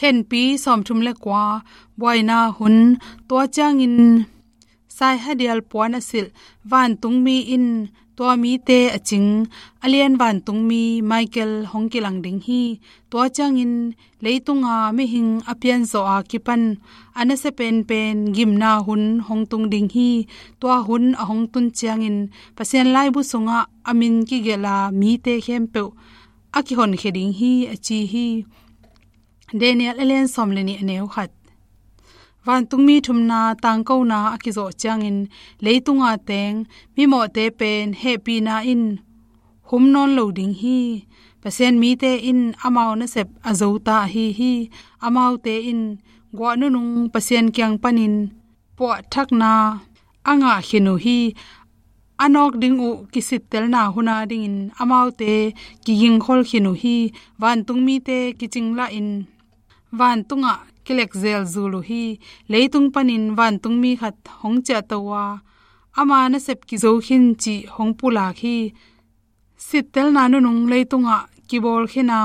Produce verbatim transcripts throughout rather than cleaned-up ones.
Khenpi sawmthum le kua, buaina hun. Tua ciangin saihadial puan a silh vantungmi in tua mite a cing, a lian vantungmi Michael hong kilang ding hi. Tua ciangin leitunga mihing a pianzawh a kipan a nasia penpen gimna hun hong tung ding hi. Tua hun a hong tun ciangin Pasian laibu sungah a min kigelh a mite khempeuh a kihonkhia ding hi, a ci hi. Daniel a lian sawm le nih, a neu khat. Vantungmi thumna tangkona a kizawh ciangin leitunga teng mimawhte pen hehpihna in hum nawn lo ding hi. Pasian mite in amau nasep a zota ahi hi. Amaute in guah nunung Pasian kiang panin puahthakna a ngah khin uh hi. A nawk ding uh kisittelna hun a dingin amaute kigingkhol khin uh hi. Vantungmite kicinglahin vantungah kilekzel zul uh hi. Leitung panin vantungmi khat hong ciahto a, ama nasep kizo khin cih hong pulak hi. Sittelna nunung leitungah kibawl khin a,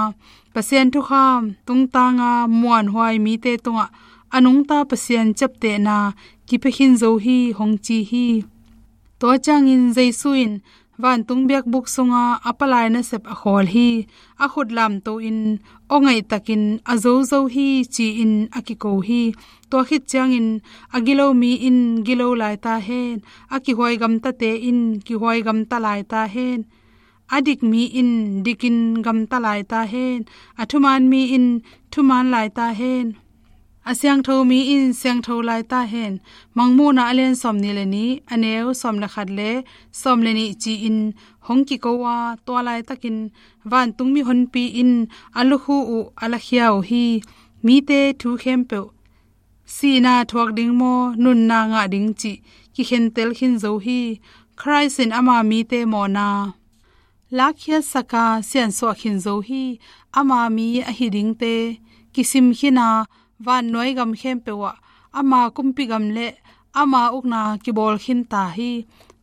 Pasian thukham tungtanga muanhuai mite tungah a nungta Pasian ciaptehna kipia khin zo hi, hong ci hi. Tua ciangin Jesu in vantung biakbuk sunga a palai nasep a khawl hi. A khut lamto in aw ngaihtakin a zozo hi, ci-in a kiko hi. Tua khit ciangin a gilo mi in gilo lai ta hen, a kihuai gamtate in kihuai gamta lai ta hen, a dik mi in dikin gamta lai ta hen, a thuman mi in thuman lai ta hen, a siangtho mi in siangtho lai ta hen. Mangmuhna a lian sawm nih le nih, a neu sawm le khat le sawm le nih ci-in hong kiko a, tua laitakin vantung mihonpi in a lukhu uh a lakhia uh hi. Mite thu khempeuh, sihna thuak ding maw, nunna ngah ding cih kikhentel khin zo hi. Khrist in ama mite mawhna lakkhiatsak a siansuah khin zo hi. Ama mi ahi dingte kisim khin a, vannuai gam khempeuh ah ama kumpi gam le ama ukna kibawl khin ta hi.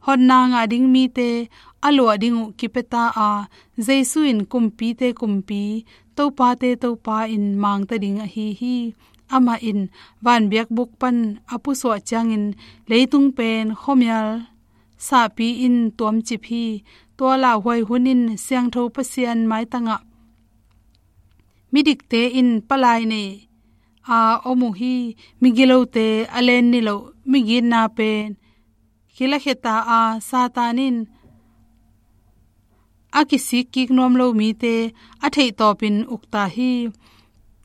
Hotna ngah ding mite a luah ding uh kipia ta a, Jesu in kumpite Kumpi, Topate Topa in mangta ding ahi hi. Amah in vanbiakbuk pan a pusuah ciangin leitung pen khuamial sahpi in tuamcip hi. Tua lauhuai hun in siangtho Pasian maitangah midikte in palai nei a om uh hi. Migilote a len niloh migitna pen kilakhia ta a, Satan in a kisik kik nuam lo mite a theihtawpin uk ta hi.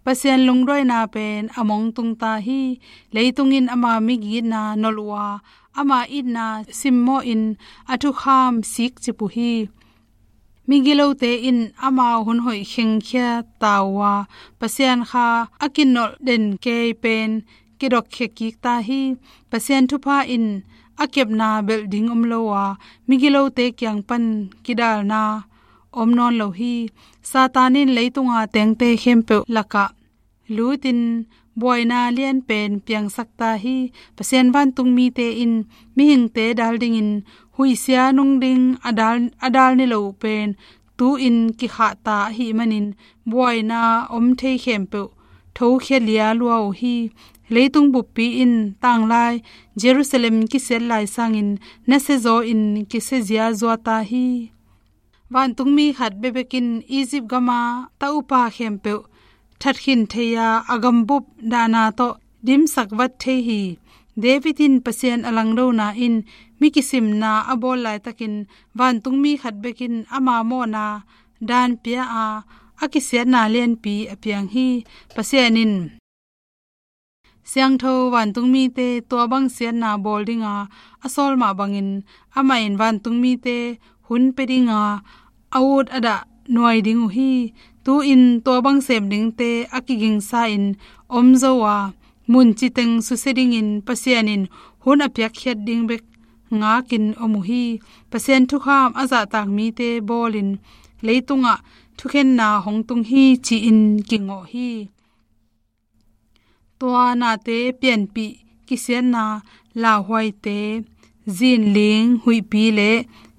Pasian lungduaina pen a mongtung ta hi. Leitung in ama migitna nolh uh a, ama itna simmawhin a thukham sikcip uh hi. Migilote in amau hun hoih khengkhia ta uh a, Pasian kha a kinolh den kei pen kidokkhia kik ta hi. Pasian thupha in a kepna belh ding om lo a, migilote kiang pan kidalna om nawn lo hi. Satan in leitunga tengte khempeuh lakah lutin buaina lianpen piangsak ta hi. Pasian vantungmite in mihingte dal dingin huihsia nung ding a dal, a dal ni lo pen tu-in kikhah ta ahih manin buaina om thei khempeuh thokhia lia lua uh hi. Leitung buppi in tanglai Jerusalem kisiat lai sangin nasia zaw in kisia zia zua ta hi. Vantungmi khat bekbek in Egypt gama ta upa khempeuh thatkhin thei a, a gambup dahna tawh dimsak vat thei hi. David in Pasian a langdona in mi kisimna a bawl laitakin vantungmi khat bek in ama mawhna dan pia a, a kisiatna lianpi a piang hi. Pasian in siangtho vantungmite tua bang siatna bawl dinga a sawl mah bangin amah in vantungmite hun pia dinga a ut a dah nuai ding uh hi. Tu-in tua bang sem dingte a kigingsa in om zo a, mun citeng susia dingin Pasian in hun a piakkhiat ding bek ngakin om uh hi. Pasian thukham a zahtak mite bawlin leitungah thukhenna hong tung hi, ci-in kingawh hi. Tua nate pianpih kisiatna lauhuaite, zinling huihpi le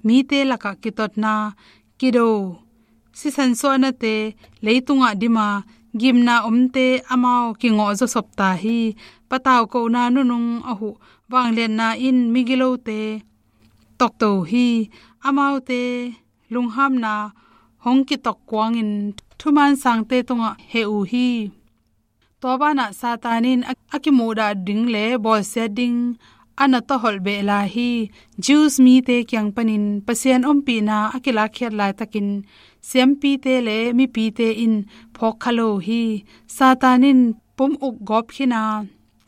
mite lakah kitotna, kido sisan suahnate leitungah dima gimna omte amau kingawh zawsop ta hi. Patau kohna nunung a huh vangliatna in migilote tokto hi. Amaute lunghamna hong kitok kuangin thuman sangte tungah heh uh hi. Tua banah Satan in a, a kimuhdah ding le bawlsiat ding a na tawholh beh lai hi. Jews mite kiang panin Pasian ompihna a kilakkhiat laitakin siampite le mipite in phawk kha lo hi. Satan in pum uk gawp khin a,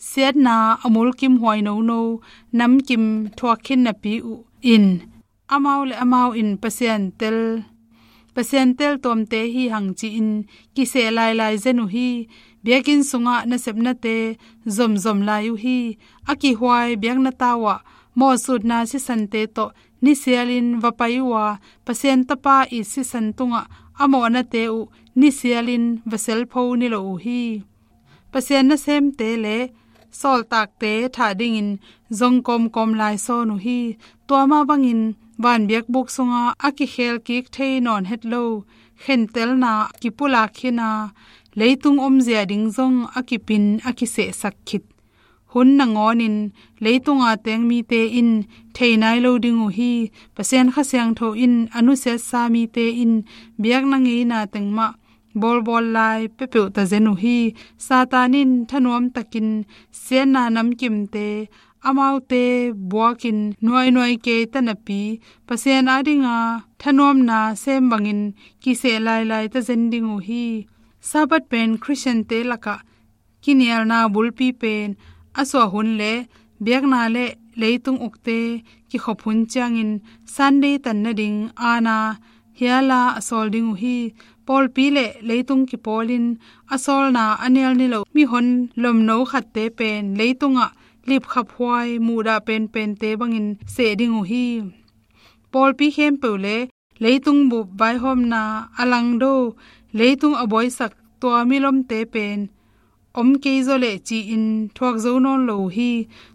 siatna a mulkim huai nono namkim thuak khin napi uh in, amau le amau in Pasian tel, Pasian tel tuamte hi hang ci-in kiseh lailai zen uh hi. Biakinn sungah nasepnate zomzom lai uh hi. A kihuai biakna tau ah mawhsutna sisante tawh nisialin va pai uh a, Pasian Tapa it sisan tungah a mawhnate uh nisialin va selpho ni lo uh hi. Pasian nasemte le sawltakte thah dingin zong kawmkawm lai sawn uh hi. Tua mah bangin vanbiakbuk sunga a kikhel kik thei nawn het lo khentelna kipulak khin a, leitung omzia ding zong a kipin a kisehsak khit hun nangawnin leitunga teng mite in thei nai lo ding uh hi. Pasian Kha Siangtho in a nusiatsa mite in biakna ngeina teng mah bawlbawl lai peuhpeuh ta zen uh hi. Satan in thanuam takin siatna namkimte amaute buakin nuainuai kei ta napi, Pasian adinga thanuamna sem bangin kiseh lailai ta zen ding uh hi. Sabbath pen Khristiante lakah kinialna bulpi pen a suah hun le biakna le leitung ukte kikhop hun ciangin Sunday tan nading aana hiala a sawl ding uh hi. Pawlpi le leitung kipawlin a sawlna a nial ni lo mihon lomno khatte pen leitungah lipkhaphuai muhdah penpente bangin seh ding uh hi. Pawlpi khempeuh le leitung bup vaihawmna a langdo, leitung a buaisak tua milomte pen om kei zaw leh ci-in thuak zo nawn lo uh hi.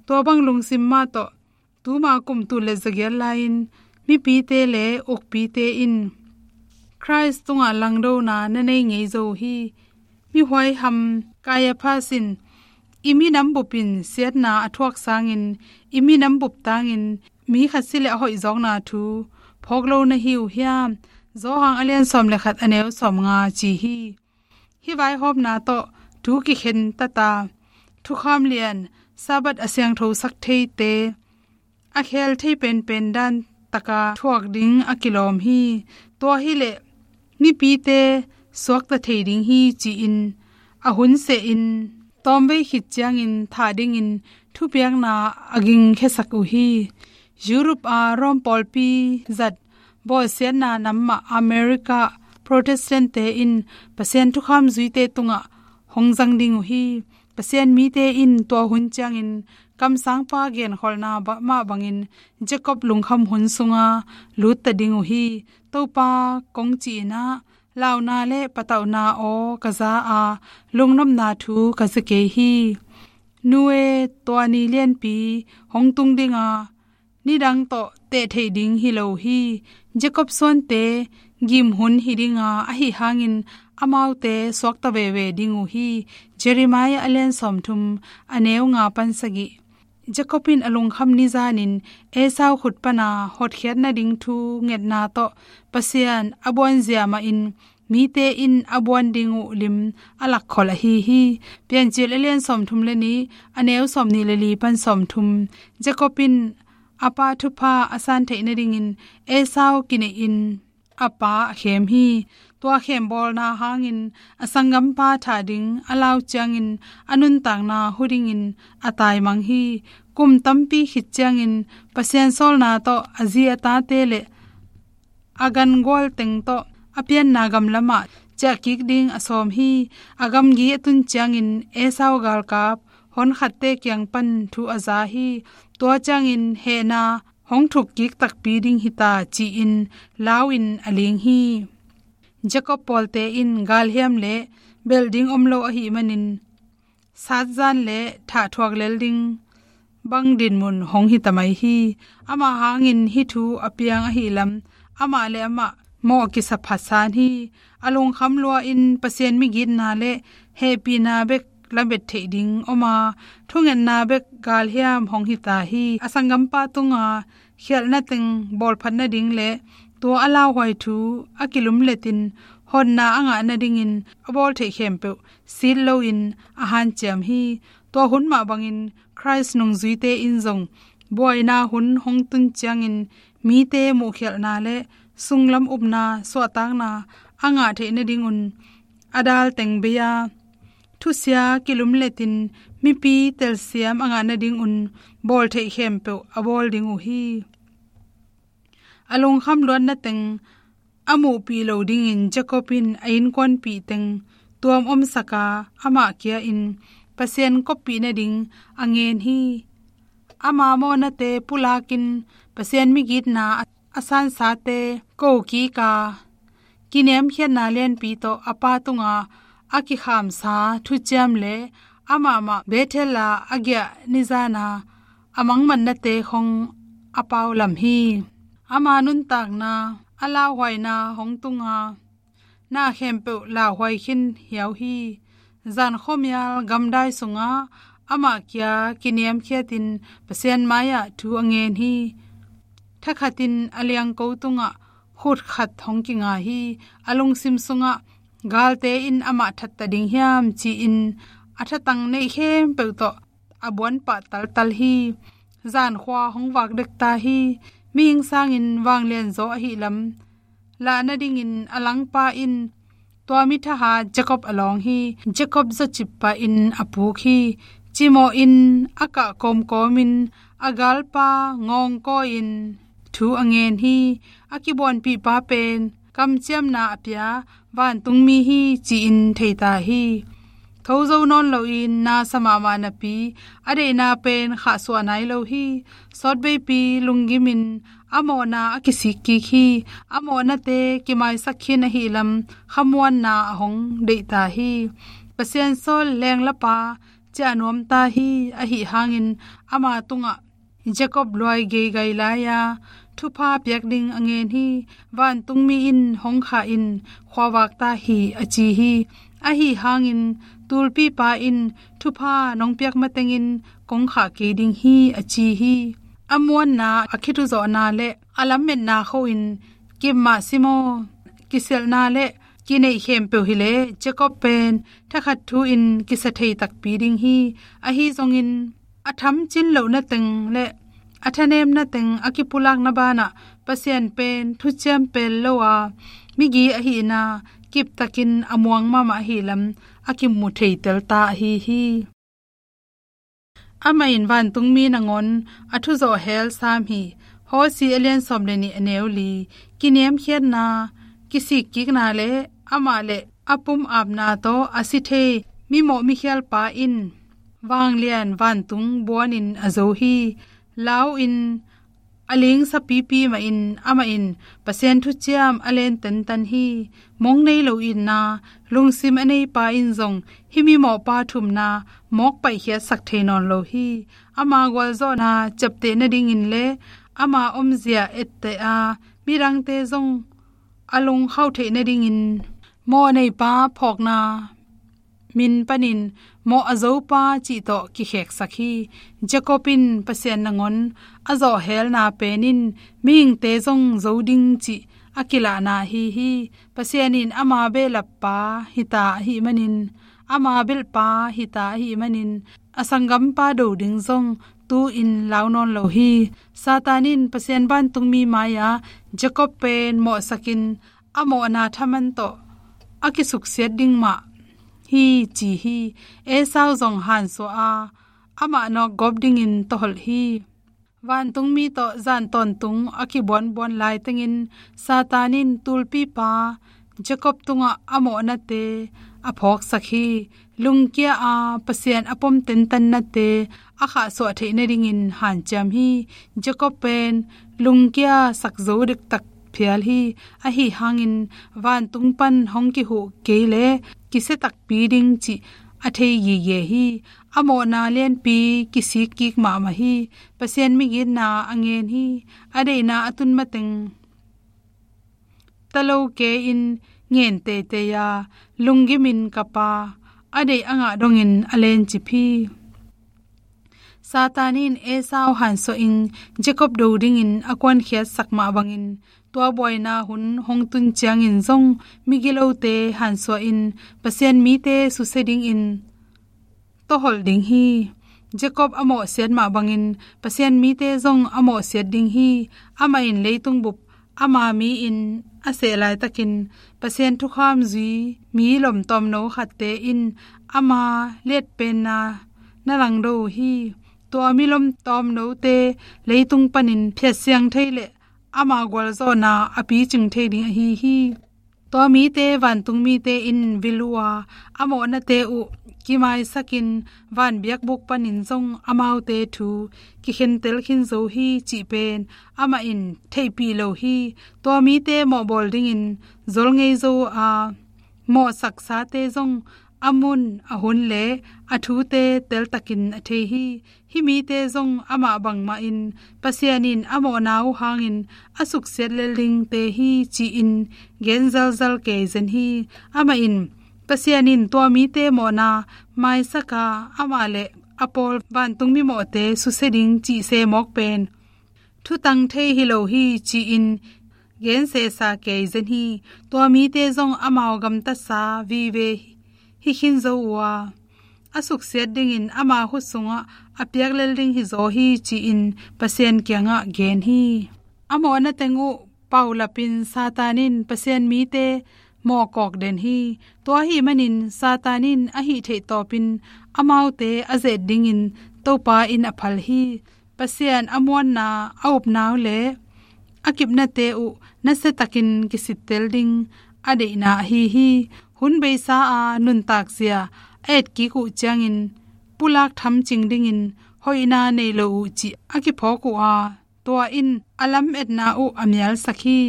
Tua bang lungsim mah tawh tuma kum tul le zagiat lai-in mipite le ukpite in Khrist tungah langdona na nei ngei zo uh hi. Mihuai ham Kaiaphas in, "I minam bup in siatna a thuak sangin i minam bup tangin mi khat si le a hoih zawkna thu phawk lo na hi uh hiam?" Johan a lian sawm le khat a neu sawm nga ci hi. Hih vaihawmna tawh thu kikhen tata thukham lian Sabbath a siangthosak theite a khel thei penpen dan taka thuak ding a kilawm hi. Tua hileh mipite suakta thei ding hi ci-in a hun sehin tawmvei khit ciangin thah dingin thupiakna a gingkhiasak uh hi. Europe a Rome pawlpi zat bawlsiatna nam mah America Protestant-te in Pasian thukham zuite tungah hong zang ding uh hi. Pasian mite in tua hun ciangin kamsangpa genkholhna ba-, mah bangin Jacob lungkham hun sunga lutta ding uh hi. Topa kong cihna, "Launa le patauhna aw ka za a, lungnopna thu ka za kei hi." Nu e, tua ni lianpi hong tung dinga nidang tawh teh theih ding hi lo hi. Jacob suante gim hun hi dinga ahi hangin amaute suakta veve ding uh hi. Jeremiah a lian sawmthum a neu nga pan sagih. Jacob in a lungkham nizanin Esau khut pana hotkhiat nading thu ngetna tawh Pasian a buanzia mahin mite in a buan ding uh lim a lakkhol ahi hi. Piancil a lian sawmthum le nih a neu sawmnih le li pan sawmthum. Jacob in a pa thupha a san theih nadingin Esau kineihin a pa a khem hi. Tua khembawlna hangin a sanggampa thah ding a lau ciangin a nuntakna hu dingin a taimang hi. Kum tampi khit ciangin Pasian sawlna tawh a zi a tate le a gangual teng tawh a pianna gam lamah ciahkik ding a sawm hi. A gamgi a tun ciangin Esau galkap honkhatte kiang pan thu a za hi. Tua ciangin hehna hong thukkik takpi ding hita ci-in lau-in a ling hi. Jacob pawlte in galhiam le belh ding om lo ahih manin satzan le thah thuak lel ding bang dinmun hong hita mai hi. Amah hangin hih thu a piang ahih lam amah le amah mawh kisa phasan hi. A lungkham lua-in Pasian migitna le hehpihna bek lamet theih ding om a, thungetna bek galhiam hong hi ta hi. A sanggampa tunga khialhna teng bawlphat nading le tua a lauhuai thu a kilumletin hotna a ngah nadingin a bawl theih khempeuh sit loin a hanciam hi. Tua hun mah bangin Khrist nungzuite in zong buaina hun hong tun ciangin mite muhkhialhna le sunglam upna suahtakna a ngah theih nadingun a dal teng bei-a thusia kilumletin mipi telsiam a ngah nadingun bawl theih khempeuh a bawl ding uh hi. A lungkham luatna teng a muhpih lo dingin Jacob in a innkuanpih teng tuam omsak a, amah kia-in Pasian koppih nading a ngen hi. Ama mawhnate pulakin Pasian migitna a sansate ko kik a, kiniamkhiatna lianpi tawh a pa tunga a kikhamsa thuciam le amah mah Bethel a a giah nizana a mangmatnate khong a pau lam hi. Ama nuntakna, a lauhuaina hong tunga na khempeuh lauhuai khin hiau hi. Zan khuamial gamdai sungah amah kia kiniamkhiatin Pasian mai-ah thu a ngen hi. Thakhatin a liangko tungah khut khat hong kinga hi. A lungsim sungah galte in amah thatta ding hiam ci-in a thatang neih khempeuh tawh a buanpah taltal hi. Zankhua hong vak dek ta hi. Mihing sangin vanglian zaw ahi lam lah nadingin a langpa in tua mi thahat Jacob a lawng hi. Jacob zawcippa in a puk hi. Cimawh in a kah kawmkawmin a galpa ngawngkaw in thu a ngen hi. A kibuanpihpa pen kamciamna a pia vantungmi hi ci-in thei ta hi. Tho zo nawn loin na sa mahmah napi a deihna pen khahsuah nai lo hi. Sawtbeipi lunggimin a mawhna a kisik kik hi. A mawhnate kimaisak khin ahi lam khamuanna a hong deih ta hi. Pasian sawl lenglapa ciah nuam ta hi. Ahi hangin ama tungah Jacob luai geigai lai-a thupha piak ding a ngen hi. Vantungmi in hong khah in khuavak ta hi a ci hi. Ahi hangin tulpipa in thupha nong piak matengin kong khah kei ding hi a ci hi. A muanna, a khituzawhna le a lammetna khoin kip mah si maw, kisialhna le kineih khempeuh hileh Jacob pen thakhat thu-in kisa thei takpi ding hi. Ahi zongin a thamcin lohna teng le a thanemna teng a kipulakna banah Pasian pen thuciam pel lo a migi ahihna kiptakin a muang mahmah ahi lam a kimu theitel ta ahi hi. Amah in vantungmi nangawn a thuzawh hel sam hi. Hosea a lian sawm le nih a neu li. Kiniamkhiatna, kisikkikna le amah le a pum apna tawh a si thei mimawh mikhialpa in vanglian vantung buanin a zo hi. Lau in a ling sapipi mahin amah in Pasian thuciam a len tentan hi. Mong nei lo itna lungsim a neipa in zong hih mimawhpa thumna mawk paihkhiatsak thei nawn lo hi. Ama gualzawhna ciapteh nadingin le ama omzia etteh a midangte zong a lungkhauh theih nadingin mawh neipa phawkna min panin mawh a zopa cih tawh kikheksak hi. Jacob in Pasian nangawn a zawhhelna pen in mihingte zong zo ding cih a kilahna ahi hi. Pasian in ama behlappa hita ahih manin, ama belhpa hita ahih manin a sanggampa do ding zong tu-in lau nawn lo hi. Satan in Pasian vantungmi mai-a Jacob pen mawhsakin a mawhna thaman tawh a kisuksiat ding mah hi ci hi. Esau zong hansuah a amah nawk gawp dingin tawholh hi. Vantungmi tawh zan tawntung a kibuanbuan laitengin Satan in tulpipa Jacob tungah a mawhnate a phawksak hi. Lungkia a Pasian a pom tentannate a khahsuah theih nadingin hanciam hi. Jacob pen lungkia sak zo dektak phial hi. Ahi hangin vantung pan hong kihuh kei le kisia takpi ding cih a thei gige hi. A mawhna lianpi kisik kik mahmah hi. Pasian migitna a ngen hi. A deihna a tun mateng ta lo ke in ngen teitei a, lunggimin kap a, a deih a ngah dongin a lencip hi. Satan in Esau hansuahin Jacob do dingin a kuankhiatsak mah bangin, tua buaina hun hong tun ciangin zong migilote hansuahin Pasian mite susia dingin tawholh ding hi. Jacob a mawhsiat mah bangin Pasian mite zong a mawhsiat ding hi. Amah in leitung bup ama mi-in a seh laitakin Pasian thukham zui mi lomtawmno khatte in ama liatpenna na langdo uh hi. Tua mi lomtawmnote leitung panin phiatsiang thei le ama gualzawhna a picing thei ding ahi hi. Tua mite vantung mite in vil uh a, a mawhnate uh kimaisakin van biakbuk panin zong amaute thu kikhentel khin zo hi cih pen amah in theihpih lo hi. Tua mite mawhbawl dingin zol ngei zo a, mawhsaksate zong a mun a hun le a thute teltakin a thei hi. Hih mite zong amah bangmahin Pasian in a mawhna uh hangin a suksiat lel dingte hi ci-in gen zalzal kei zen hi. Amah in Pasian in tua mite mawhna maisak a, amah le a pawl vantung mimawhte susia ding cih se mawk pen thutang thei hi lo hi ci-in gen sesa kei zen hi. Tua mite zong amau gamtatsa vive hi khin zo uh a, a suksiat dingin ama khut sungah a piak lel ding hi zaw hi ci-in Pasian kiangah gen hi. A mawhna teng uh paulapin Satan in Pasian mite mawhkawk den hi. Tua ahih manin Satan in a hih theih tawpin amaute a zet dingin Topa in a phal hi. Pasian a muanna, a upna uh le a kipnate uh nasiatakin kisittel ding a deihna ahi hi. Hun beisa a nuntakzia a etkik uh ciangin pulak thamcing dingin hoihna nei lo uh cih a kiphawk uh a, tua in a lametna uh a mialsak hi.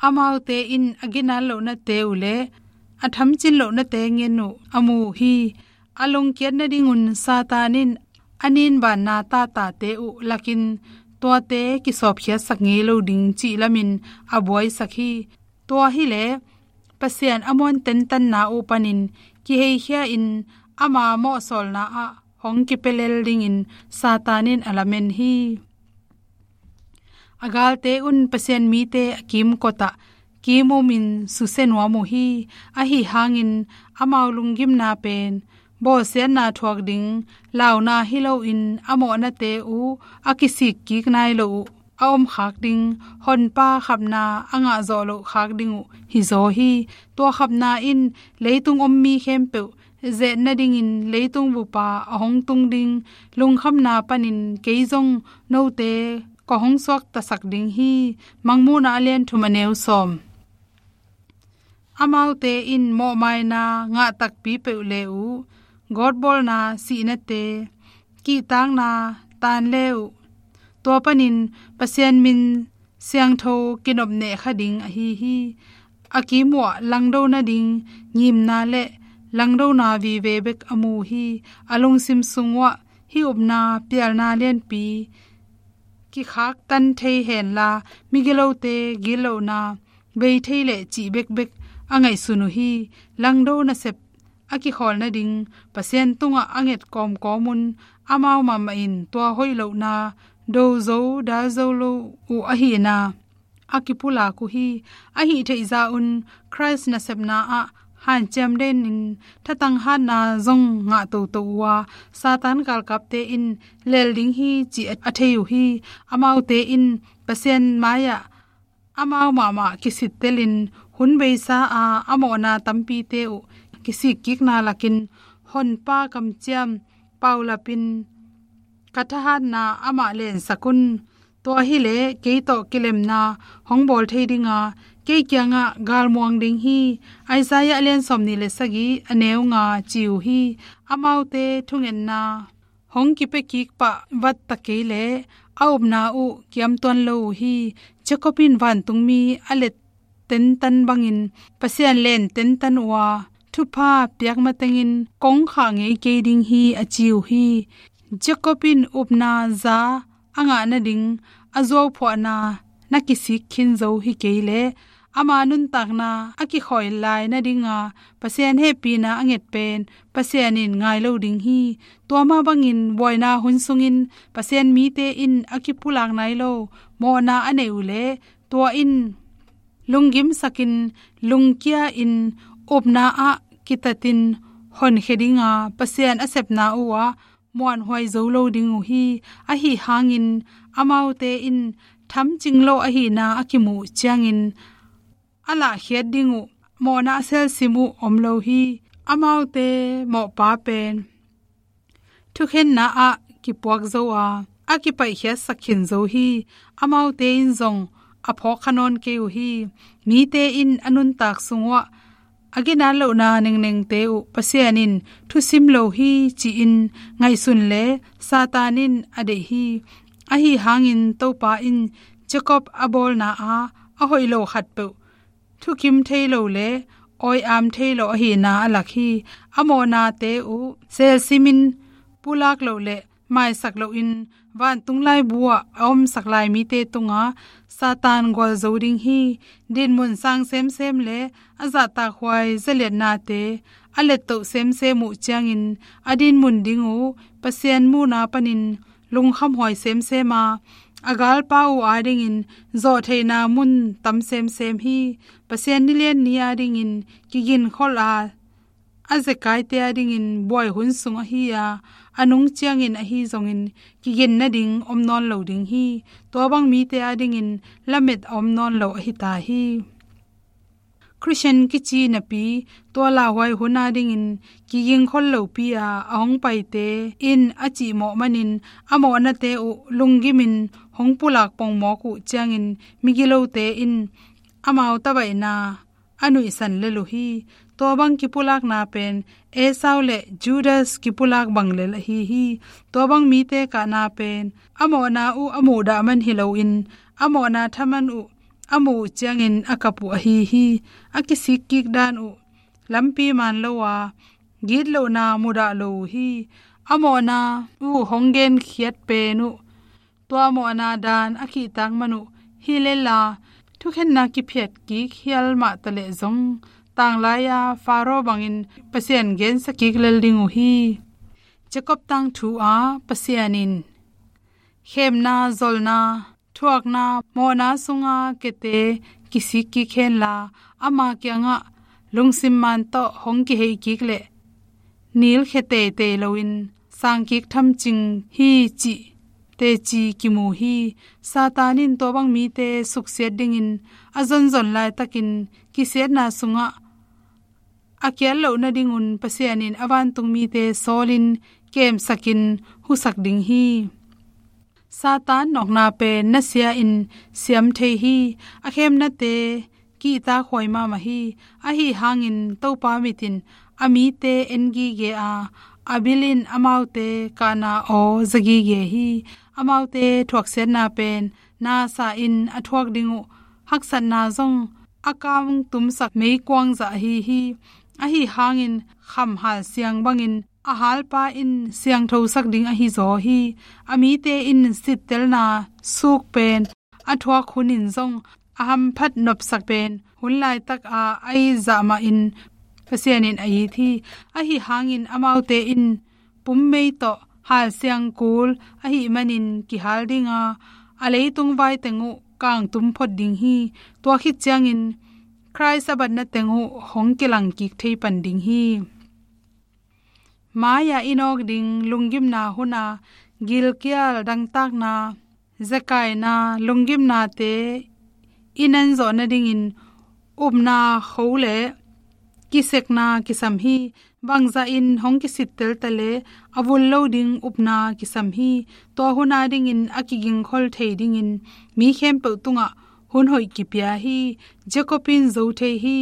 Amaute in a ginat lohnate uh le a thamcin lohnate ngen uh a mu uh hi. A lungkiat nadingun Satan in a ninbanna tatate uh lakin tuate kisawpkhiatsak ngei lo ding cih lamin a buaisak hi. Tua hileh Pasian a muan tentanna uh panin kiheikhia-in ama mawhsawlna ah hong kipia lel dingin Satan in a lamen hi. A galte un Pasian mite a kimkotah kimumin susia nuam uh hi. Ahi hangin amau lunggimna pen bawlsiatna thuak ding launa hi loin a mawhnate uh a kisikkik nai lo uh a om khak ding, honpa khapna a ngah zawh loh khak ding uh hi zaw hi. Tua khapna in leitung om mi khempeuh zet nadingin leitung bupa a hong tung ding lungkhamna panin kei zong note ka hong suaktasak ding hi. Mangmuhna a lian thum a neu sawm. Amaute in mawhmaina ngah takpi peuh le uh, gawtbawlna sihnate, kihtakna taan le uh, tua panin Pasian min siangtho kinopneh kha ding ahi hi. A kimuah langdo nading ngimna le langdona vive bek a mu hi. A lungsim sung uah hih upna pialna lianpi kikhaktan thei henla migilote gitlohna bei thei leh cih bekbek a ngaihsun uh hi. Langdo nasep a kikhawl nading Pasian tungah a nget kawmkawm un amau mahmah in tua hoih lohna do zo dal zo lo uh ahihna a kipulak uh hi. Ahi theihzah un Khrist nasepna ah hanciam denin thatang hatna zong ngah toto uh a, Satan galkapte in lel ding hi cih a thei uh hi. Amaute in Pasian mai-ah amau mahmah kisittelin hun beisa a a mawhna tampite uh kisikkikna lakin honpa kamciam paulapin ka thahatna amah lensak un. Tua hileh kei tawh kilemna hong bawl thei dinga kei kiangah galmuang ding hi. Isaiah a lian sawmnih le sagih a neu nga ci uh hi. Amaute thungetna hong kipia kik pah vatta kei leh a upna uh kiamtuan lo uh hi. Jacob in vantungmi a let tentan bangin Pasian len tentan uh a, thupha piak matengin kong khah ngei kei ding hi a ci uh hi. Jacob in upna za a ngah nading a zuauphuahna na kisik khin zo hi kei leh ama nuntakna a kikhawi lai nadinga Pasian hehpihna a nget pen Pasian in ngai lo ding hi. Tua mah bangin buaina hun sungin Pasian mite in a kipulak nai lo mawhna a neih uh leh, tua in lunggimsakin, lungkia-in, upna ah kitatin honkhia dinga Pasian a sepna uhah muanhuai zo lo ding uh hi. Ahi hangin amaute in thamcing lo ahihna a kimuh ciangin a lahkhiat ding uh mawhna a selsim uh om lo hi. Amaute mawhpa pen thukhenna ah kipuak zo a, a kipaihkhiatsak khin zo hi. Amaute in zong a phawkkha nawn kei uh hi. Mite in a nuntak sung uhah a ginat lohna nengnengte uh Pasian in thusim lo hi ci-in ngaihsun leh Satan in a deih hi. Ahi hangin Topa in Jacob a bawlna ah a hoih lo khatpeuh thukim thei lo leh awi-am thei lo ahihna a lak hi. A mawhnate uh selsimin pulak loh leh maisak lohin vantung laibu ah a omsak lai mite tungah Satan gualzo ding hi. Dinmun sang semsem leh a zahtakhuai zaliatnate a lettoh semsem uh ciangin a dinmun ding uh Pasian muhna panin lungkhamhuai semsem a, a galpa uh adingin zawhtheihna mun tam semsem hi. Pasian nilian ni adingin kiginkholh a, a zekaite adingin buai hun sung ahi a, a nung ciangin ahi zongin kigin nading om nawn lo ding hi. Tua bang mite adingin lamet a om nawn lo ahi ta hi. Khristian kici napi tua lauhuai hun adingin kiginkholh lopi a, a hong paite in a cihmawh manin a mawhnate uh lunggimin hong pulak pongmawk uh ciangin migilote in amau tabaihna a nuihsan lel uh hi. Tua bang kipulakna pen Esau le Judas kipulak bang lel ahi hi. Tua bang mite kahna pen a mawhna uh a muhdah man hi loin a mawhna thaman uh a muh uh ciangin a kap uh ahi hi. A kisikkik dan uh lampi man lo a, gitlohna mudah lo uh hi. A mawhna uh hong genkhiat pen uh tua mawhna dan a kihtak man uh hi lel a, thukhenna kiphiatkik hial mah taleh zong tanglai-a Faro bangin Pasian gensa kik lel ding uh hi. Jacob tangthu ah Pasian in khemna, zolna, thuakna, mawhna sunga kiate kisikkik henla, ama kiangah lungsim man tawh hong kiheikik leh nilkhia teitei loin sangkik thamcing hi cih teci kimu hi. Satan in tua bang mite suksiat dingin a zonzon laitakin kisiatna sungah a kiat loh nadingun Pasian in a vantung mite sawlin kemsakin husak ding hi. Satan nawkna pen nasia-in siam thei hi. A khemnate kihtakhuai mahmah hi. Ahi hangin Topa mit in a mite en gige a, a bil in amaute kahna aw za gige hi. Amaute thuaksiatna pen nasa in a thuak ding uh haksatna zong a kangtumsak meikuang zah ahi hi. Ahi hangin kham halsiang bangin a halpa in siangthosak ding ahi zaw hi. A mite in sittelna suk pen a thuak hunin zong a hamphat nopsak pen hun laitak a a it zah mahin Pasian in a it hi. Ahi hangin amaute in pummei tawh halsiang kul ahih manin kihal ding a, a leitung vai teng uh kangtum phot ding hi. Tua khit ciangin Khrih a batna teng uh hong kilangkik thei pan ding hi. Mai-ah i nawk ding lunggimna hun a gilkial dangtakna, zakaina, lunggimnate i nan zawh nadingin upna kho le kisekna kisam hi. Bangzahin hong kisittel ta le a vul lo ding upna kisam hi. Tua hun adingin a kigingkhol thei dingin mi khempeuh tungah hun hoih kipia hi. Jacob in zo thei hi.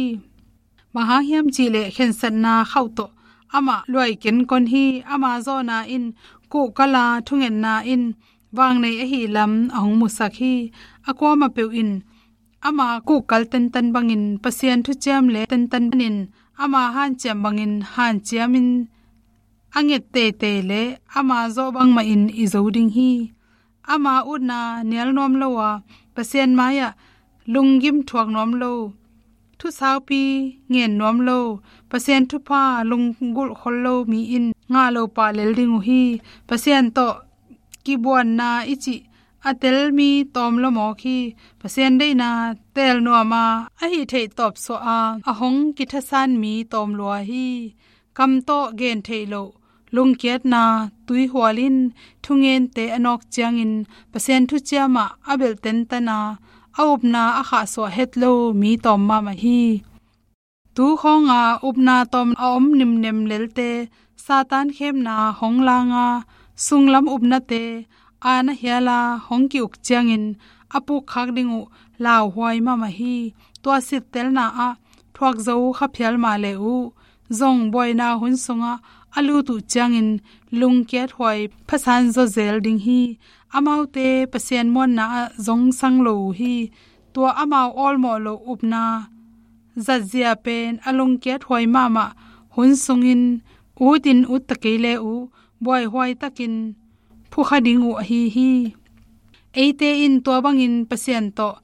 Bang hang hiam cihleh khensatna khauh tawh amah luai kenkon hi. Ama zawhna in kuhkal a, thungetna in vangnei ahih lam a hong musak hi. A kuamah peuh in ama kuhkal tentan bangin Pasian thuciam le tentan in ama hanciam bangin hanciamin a nget teitei le ama zawh bangmahin i zo ding hi. Ama utna nial nuam lo a, Pasian mai-ah lunggim thuak nuam lo Thusaupi ngen nuam lo, Pasian thupha lunggulh khol lo mi in ngah lo pah lel ding uh hi. Pasian tawh kibuanna i cih a tel mi tawm lua mawk hi. Pasian deihna teel nuam a, a hih theih tawpsuah a, a hong kithasan mi tawm lua hi. Kam tawh gen theih loh lungkiatna tuihual in thungente a nawk ciangin Pasian thuciam ah a belh tentan a, a upna a khahsuah het lo mi tawm mahmah hi. Tu khawng a upna tawm a om nimnem lelte, Satan khemna hong lang a, sunglam upnate a na hial a hong ki-uk ciangin a pukkhak ding uh lauhuai mahmah hi. Tua sittelna ah thuak zo kha phial mah le uh, zong buaina hun sungah a lut uh ciangin lungkiat huai phasan zawzel ding hi. Amaute Pasian muanna ah zong sang lo uh hi. Tua amau awlmawh loh upna zatzia pen a lungkiat huai mahmah hun sungin ut in ut ta kei le uh, buaihuai takin phukha ding uh ahi hi. Eite in tua bangin Pasian tawh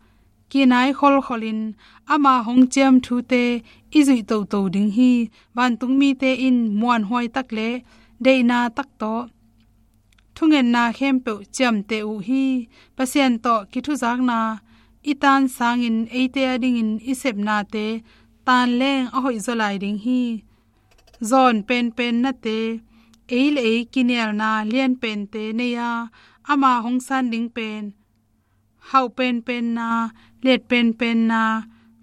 kinai kholkholin ama hong ciam thute i zuih toto ding hi. Vantung mite in muanhuai tak le deihna tak tawh thungetna khempeuh ciamteh uh hi. Pasian tawh kithuzakna i tan sangin eite adingin i sepnate tan leng a hoihzaw lai ding hi. Zawn penpennate, ei le ei kinialna lianpente nei a, ama hong san ding pen hauh penpenna, liat penpenna,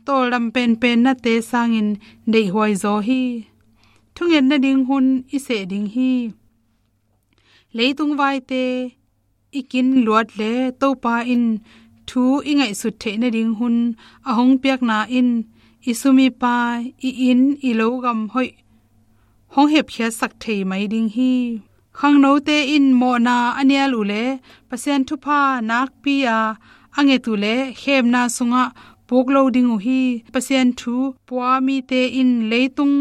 tawldam penpennate sangin deihhuai zaw hi. Thunget nading hun i seh ding hi. Leitung vaite i kin luat le Topa in thu i ngaihsut theih nading hun a hong piakna in i sum i pai, i inn, i lo gam hoih hong hepkhiatsak thei mai ding hi. Khangnote in mawhna a nial uh le Pasian thupha nakpi a a nget uh le khemna sungah puk lo ding uh hi. Pasian thu pua mite in leitung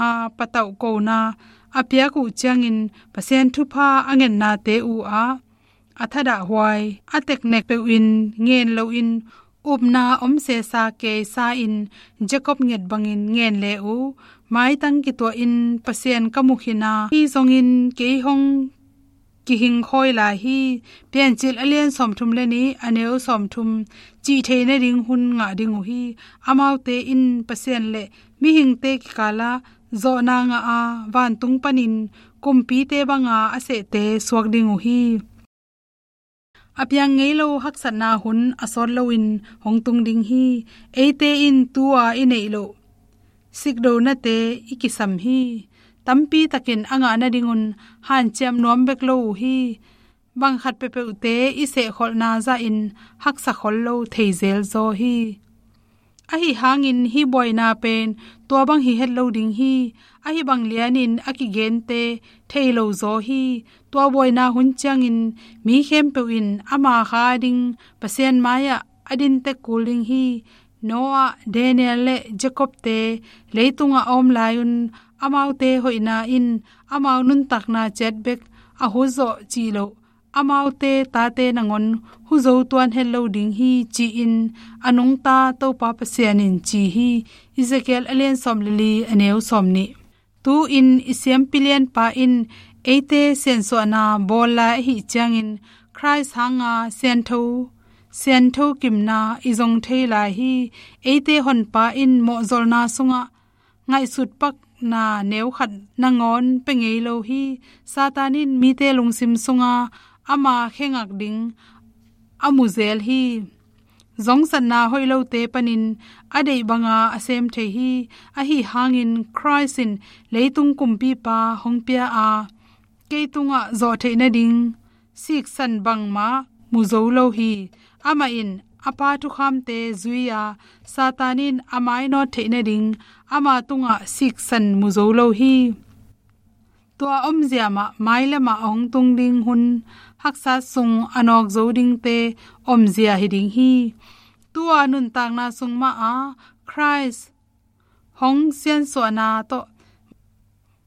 a patauh kona a piak uh ciangin Pasian thupha a ngetnate uh ah a thadahhuai, a teknek peuhin ngen loin upna om sesa keisa in Jacob nget bangin ngen le uh. Maitang kituahin Pasian ka mu khin a, hi zongin kei hong kihing khawi lai hi. Piancil a lian sawmthum le nih, a neu sawmthum, cih theih nading hun ngah ding uh hi. Amaute in Pasian le mihingte kikalah zawhna ngah a, vantung panin kumpite banga a sehte suak ding uh hi. A piang ngei lo haksatna hun a sawt loin hong tung ding hi. Eite in tu-a i neih loh sikdonate i kisam hi. Tampi takin a ngah nadingun hanciam nuam bek lo uh hi. Bang khat peuhpeuhte i sehkholhna zahin haksa khol lo thei zelzaw hi. Ahi hangin hih buaina pen tua bang hi het lo ding hi. Ahi bang lianin a kigente thei lo zaw hi. Tua buaina hun ciangin mi khempeuh in ama kha ding Pasian mai-ah a din tek kul ding hi. Noah, Daniel le Jacob-te leitungah a om lai-un amaute hoihna in amau nuntakna ciat bek a hutzawh cih loh, amaute tate nangawn huzo tuan het lo ding hi, ci-in a nungta Topa Pasian in ci hi. Ezekiel a lian sawm le li, a neu sawm nih. Tu-in i siampi lianpa in eite siansuahna bawl lai ahih ciangin Khrist hanga siantho, siantho kimna i zong thei lai hi. Eite honpa in mawhzolna sungah ngaihsut pakna neu khat nangawn pia ngei lo hi. Satan in mite lungsim sunga ama khengak ding a mu zel hi. Zongsatna hoih lote panin a deih banga a sem thei hi. Ahi hangin Khrist in leitung kumpipa hong pia a, kei tungah zawh theih nading siksan bangmah mu zo lo hi. Amah in a Pa thukhamte zui a, Satan in a mainawt theih nading ama tungah siksan mu zo lo hi. Tua omzia mah mailamah a hong tung ding hun haksa sung a nawk zo dingte omzia hi ding hi. Tu-a nuntakna sung mah a Khrist hong siansuahna tawh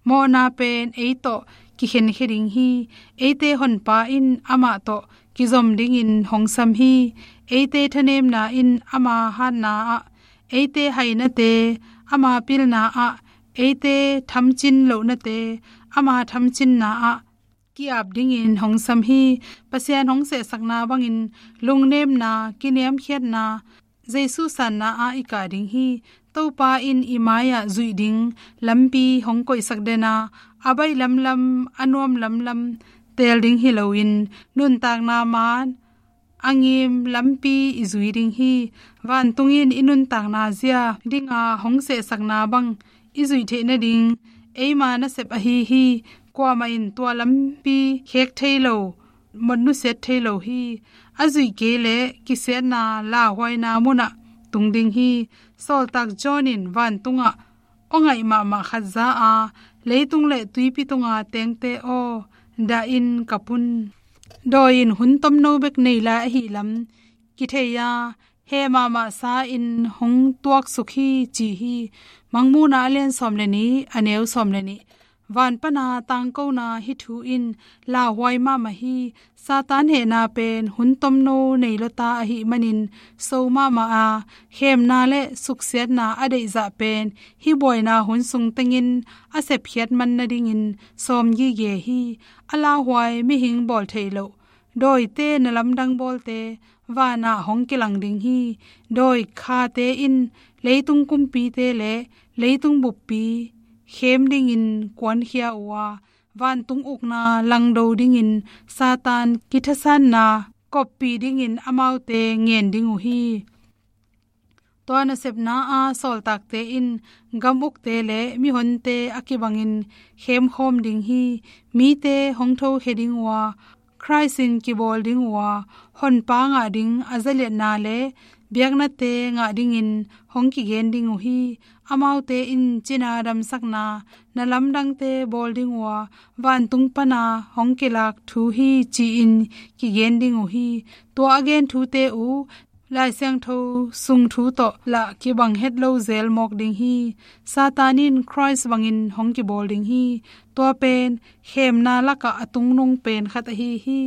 mawhna pen ei tawh kikhenkhia ding hi. Eite honpa in amah tawh kizom dingin hong sam hi. Eite thanemna in ama hatna ah eite hainate ama pilna ah, eite thamcin lohnate ama thamcinna ah ki-ap dingin hong sam hi. Pasian hong sehsakna bangin lungnemna, kiniamkhiatna, Jesu sanna ah i kah ding hi. Topa in i mai-ah zuih ding lampi hong koihsak den a, a baih lamlam, a nuam lamlam teel ding hi loin, nuntakna maan a ngim lampi i zui ding hi. Vantung in i nuntakna zia dinga hong sehsakna bang i zuih theih nading eima nasep ahi hi. Kuamah in tua lampi khek thei lo, mot nusiat thei lo hi. A zuih kei leh kisiatna lauhuaina munah tung ding hi. Sawltak John in vantungah aw ngaih mahmah khat za a, leitung le tuipi tunga tengte aw, dah in kap un. Dawi in hun tomno bek nei lai ahi lam kithei a, heh mahmah sa in hong tuaksuk hi, ci hi. Mangmuhna a lian sawm le nih, a neu sawm le nih. Van pana tangkona hih thu in lauhuai mahmah hi. Satan hehna pen hun tomno nei lua ta ahih manin so mahmah a, khemna le suksiatna a deihzah pen hih buaina hun sung tengin a sepkhiat man nadingin sawm gige hi. A lauhuai mihing bawl theih loh dawite na lamdang bawlte vanah hong kilang ding hi. Dawi khate in leitung kumpite le leitung buppi khem dingin kuankhia uh a, vantung ukna langdo dingin Satan kithasanna koppih dingin amaute ngen ding uh hi. Tua nasepna a sawltakte in gam ukte le mihonte a kibangin khemkhawm ding hi. Mite hong thokhia ding uh a, Khrist in kibawl ding uh a, Honpa ngah ding a zaliatna le biaknate ngah dingin hong kigen ding uh hi. Amaute in cina damsakna na lamdangte bawl ding uh a, vantung pana hong kilak thu hi, ci-in kigen ding uh hi. Tua a gen thute uh Lai Siangtho sung thu tawh lah kibang het lo zel mawk ding hi. Satan in Khrist bangin hong kibawl ding hi. Tua pen khemna lakah a tungnung pen khat ahi hi.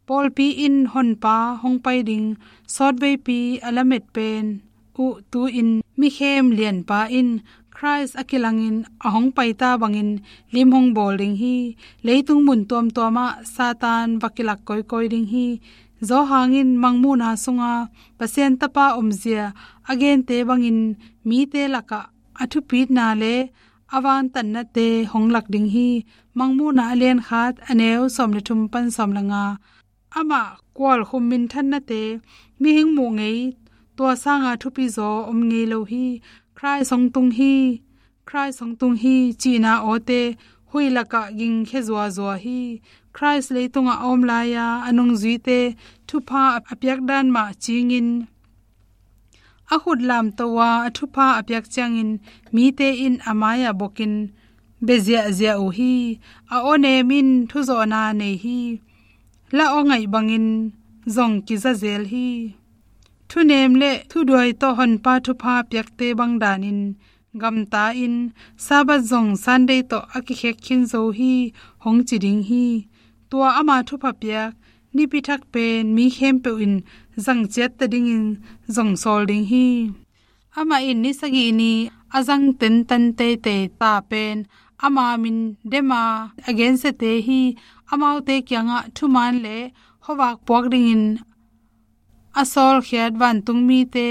Pawlpi in Honpa hong pai ding sawtveipi a lamet pen uh tu-in mikhem lianpa in Khrist a kilangin a hong paita bangin lim hong bawl ding hi. Leitung mun tuamtuamah Satan va kilak kawikawi ding hi. Johan in Mangmuhna sunga Pasian Tapa omzia a gente bangin mite lakah a thupitna le a vantannate hong lak ding hi. Mangmuhna a lian khat, a neu sawm le thum pan sawm le nga. Amah kualkhum minthannate mihing muh ngei, tua sanga thupi zaw om ngei lo hi. Khrist hong tung hi, Khrist hong tung hi, cihna awte huih lakah gingkhia zuazua hi. Khrist leitungah a om lai-a a nungzuite thupha a piak dan mah cingin a khut lamto a, a thupha a piak ciangin mite in a mai-ah bokin bia ziahziah uh hi. A awnem in thuzawhna nei hi. La aw ngaih bangin zong kiza zel hi. Thunem le thuduai tawh Honpa thupha piakte bang danin gamta in Sabbath zong Sunday tawh a kikhek khin zo hi, hong ci ding hi. Tua ama thupha piak nipi thak pen mi khempeuh in zang ciatta dingin zong sawl ding hi. Amah in ni sagih ni a zang tentan teitei ta pen ama min dema a gensiate hi. Amaute kiangah thuman le khuavak puak dingin a sawlkhiat vantung mite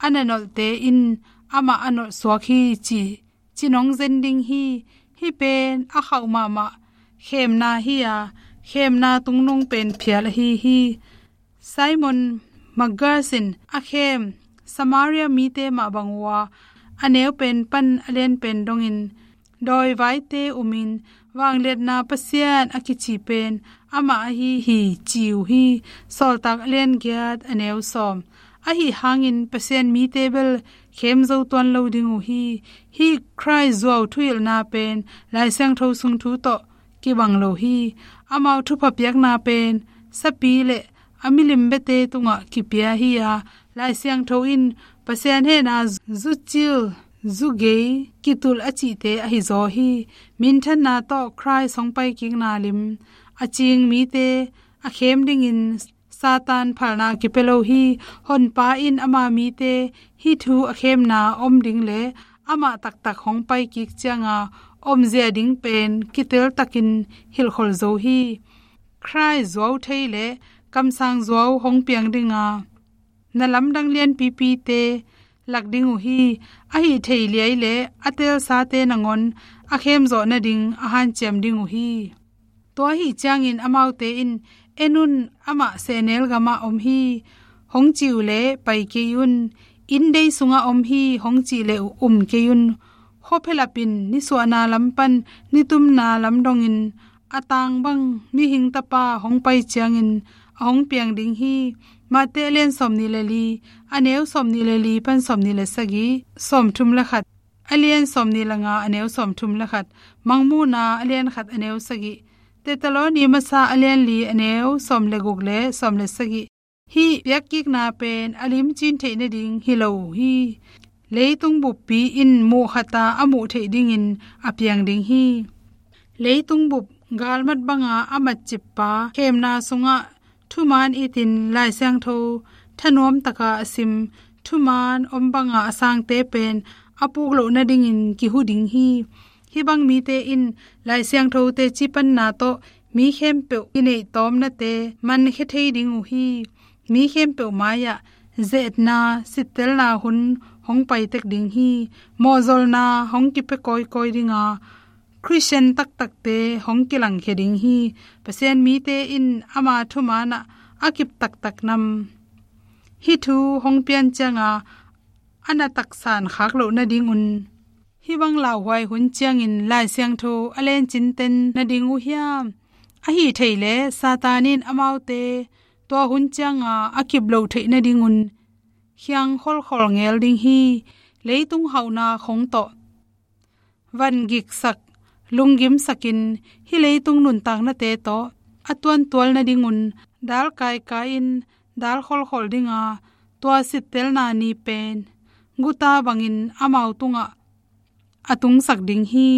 a nanolhte in amah a nolhsuak hi, ci, ci nong zen ding hi. Hih pen a khauh mahmah khemna hi-a, khemna tungnung pen phial ahi hi. Simon Magus in a khem Samaria mite mah bang uh a, a neu pen pan a lian pen dongin dawi vaite umin vangliatna Pasian a kici pen amah ahi hi, ci uh hi. Sawltak a lian giat, a neu sawm. Ahi hangin Pasian mite bel khem zo tuan lo ding uh hi. Hih Khrist zuau thuhilhna pen Lai Siangtho sung thu tawh kibang lo hi. Amau thupha piakna pen sapi le a milim biate tungah kipia hi-a, Lai Siangtho in Pasian hehna zucil zugei kitul a cihte ahi zaw hi. Minthanna tawh Khrist hong paikikna lim a cing mite a khem dingin Satan phalna kipia lo hi. Honpa in ama mite hih thu a khemna om ding le amah taktak hong pai kik cianga omzia ding pen kiteltakin hilhkhol zo hi. Khrih zuau thei le kamsang zuau hong piang dinga na lamdang lianpipite lak ding uh hi. A hih thei liai le a teelsate nangawn a khemzawh nading a hanciam ding uh hi. Tua ahi ciangin amaute in, "En un, amah sehnel gamah om hi," hong cih uh leh pai kei un. "Inndei sungah om hi," hong cih leh um kei un. Khuaphialapin nisuahna lam pan nitumna lam dongin a tang bang Mihing Tapa hong pai ciangin a hong piang ding hi. Mate a lian sawmnih le li, a neu sawmnih le li pan sawmnih le sagih, sawmthum le khat, a lian sawmnih le nga, a neu sawmthum le khat, Mangmuhna a lian khat, a neu sagih, Thesaloni Masa a lian li, a neu sawm le guk le sawm le sagih. Hih piakkikna pen a limcin theih nading hi lo uh hi. Leitung buppi in muh khata a muh theih dingin a piang ding hi. Leitung bup galmat banga a matcippa khemna sungah thumaan itin Lai Siangtho thanuamtaka a sim, thumaan om banga a sangte pen a puk loh nadingin kihu ding hi. Hih bang mite in Lai Siangtho teci panna tawh mi khempeuh i neih tawmnate mankhia thei ding uh hi. Mi khempeuh mai-ah ze-etna, sittelna hun hong pai tek ding hi. Mawhzolna hong kipia kawikawi dinga Khristian taktakte hong kilangkhia ding hi. Pasian mite in ama thumaanah a kip taktak nam hih thu hong pian cianga a na taksan khak loh nadingun hih bang lauhuai hun ciangin Lai Siangtho a lencin ten nading uh hiam? Ahi thei leh Satan in amaute tua hun cianga a kip loh theih nadingun khiang kholkhol ngel ding hi. Leitung hauhna khong tawh van giksak, lunggimsakin hih leitung nuntaknate tawh a tuantual nadingun dal kaikai-in dal kholkhol dinga tua sittelna ni pen guta bangin amau tungah a tungsak ding hi.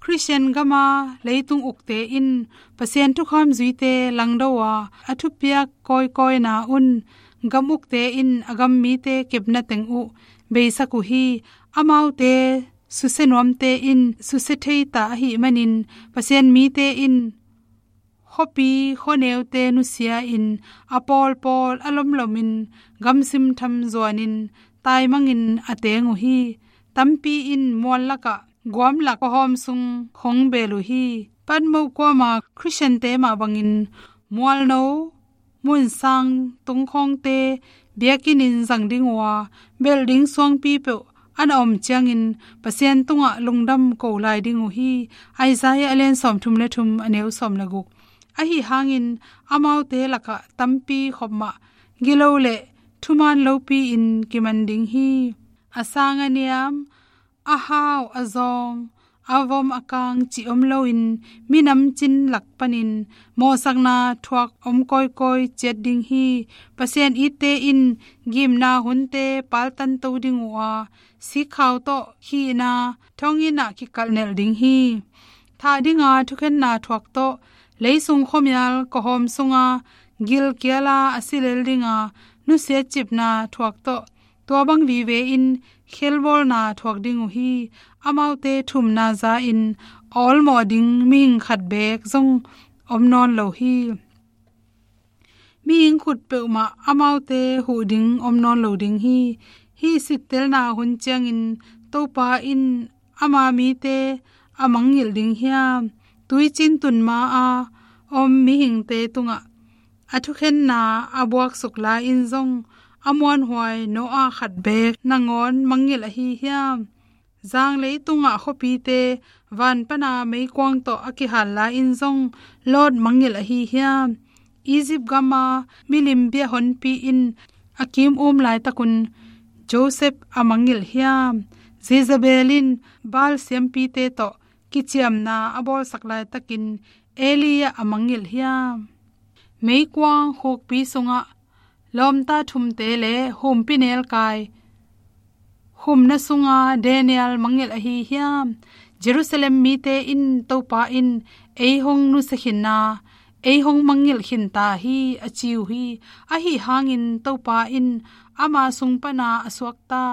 Khristian gama leitung ukte in Pasian thukham zuite langdo a, a thupiak kawikawina un gam ukte in a gam mite kepna teng uh beisak uh hi. Amaute susia nuamte in susia thei ta ahih manin Pasian mite in khuapi khuaneute nusia-in a pawlpawl a lomlomin gamsim tham zuanin taimangin a teng uh hi. Tampi in mual lakah guam lak khuahawm sung khong bel uh hi. Patmos kuama Khristiante mah bangin mualno munsang tungkhawngte biakinn in zang ding uh a, belh ding suangpi peuh a na om ciangin Pasian tungah lungdam ko lai ding uh hi. Isaiah a lian sawmthum le thum, a neu sawm le guk. Ahi hangin amaute lakah tampi khop mah gilo le thumaan lopi-in kiman ding hi. A sang a niam, a hau a zawng, a vom a kang cih om loin minam cin lak panin mawhsakna thuak om kawikawi ciat ding hi. Pasian itte in gimna hunte paltanto ding uh a, sikkhau tawh khihna thonginn ah kikalhnelh ding hi. Thah dinga thukhenna thuak tawh leisung khuamial khuahawm sunga gilkiala a si lel dinga nusiat cipna thuak tawh tua bang vive in khelbawlna thuak ding uh hi. Amaute thumna za-in a awlmawh ding mihing khat beek zong om nawn lo hi. Mihing khut peuhmah amaute huh ding om nawn lo ding hi. Hih sittelna hun ciangin Topa in ama mite a mangngilh ding hiam? Tuicin tun ma-a om mihingte tungah a thukhenna a buaksuk lai-in zong a muanhuai Noah khat beek nangawn mangngilh ahi hiam? Zang leitungah khuapite van pana meikuang tawh a kihal lai-in zong Lot mangngilh ahi hiam? Egypt gama milim bia honpi in a kim um laitakun Joseph a mangngilh hiam? Jezebel in Baal siampite tawh kiciamna a bawlsak laitakin Elijah a mangngilh hiam? Meikuang khukpi sungah lawmta thumte le humpi nelkai humna sunga Daniel mangngilh ahi hiam? Jerusalem mite in Topa in ei hong nusia khin a, ei hong mangngilh khin ta hi, a ci uh hi. Ahi hangin Topa in ama sung pana a suakta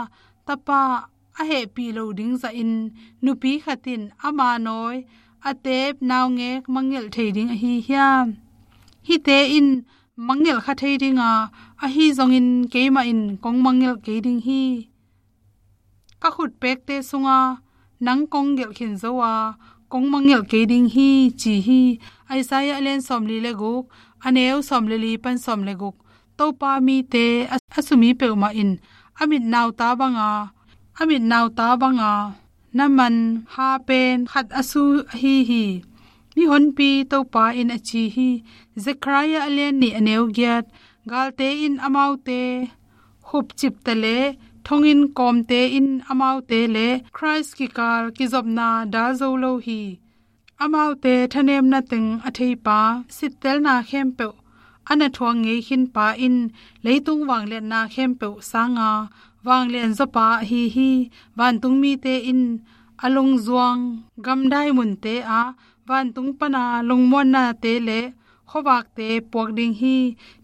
tapa a hehpih lo ding zahin nupi khat in ama nawi a teep naungek mangngilh thei ding ahi hiam? Hihte in mangngilh kha thei ding a, ahi zongin keimah in kong mangngilh kei ding hi. Ka khut pekte sunga nang kong gelh khin zo a, kong mangngilh kei ding hi, ci hi. Isaiah a lian sawmli le guk, a neu sawm le li pan sawm le guk. Topa mite a, a sumi peuhmah in a mit nauta banga, a mit nauta banga na man ha pen khat a su ahi hi. Mihonpi Topa in a ci hi. Zechariah a lian nih, a neu giat. Galte in amaute hupcipte le thonginn kawmte in amaute le Khrist kikal kizopna dal zo lo hi. Amaute thanemna teng a theipa, sittelna khempeuh a na thuak ngei khinpa in leitung vangliatna khempeuh sanga vanglian zawpa ahi hi. Vantung mite in a lungzuang gamdai munte ah vantung pana lungmuannate le khuavakte puak ding hi.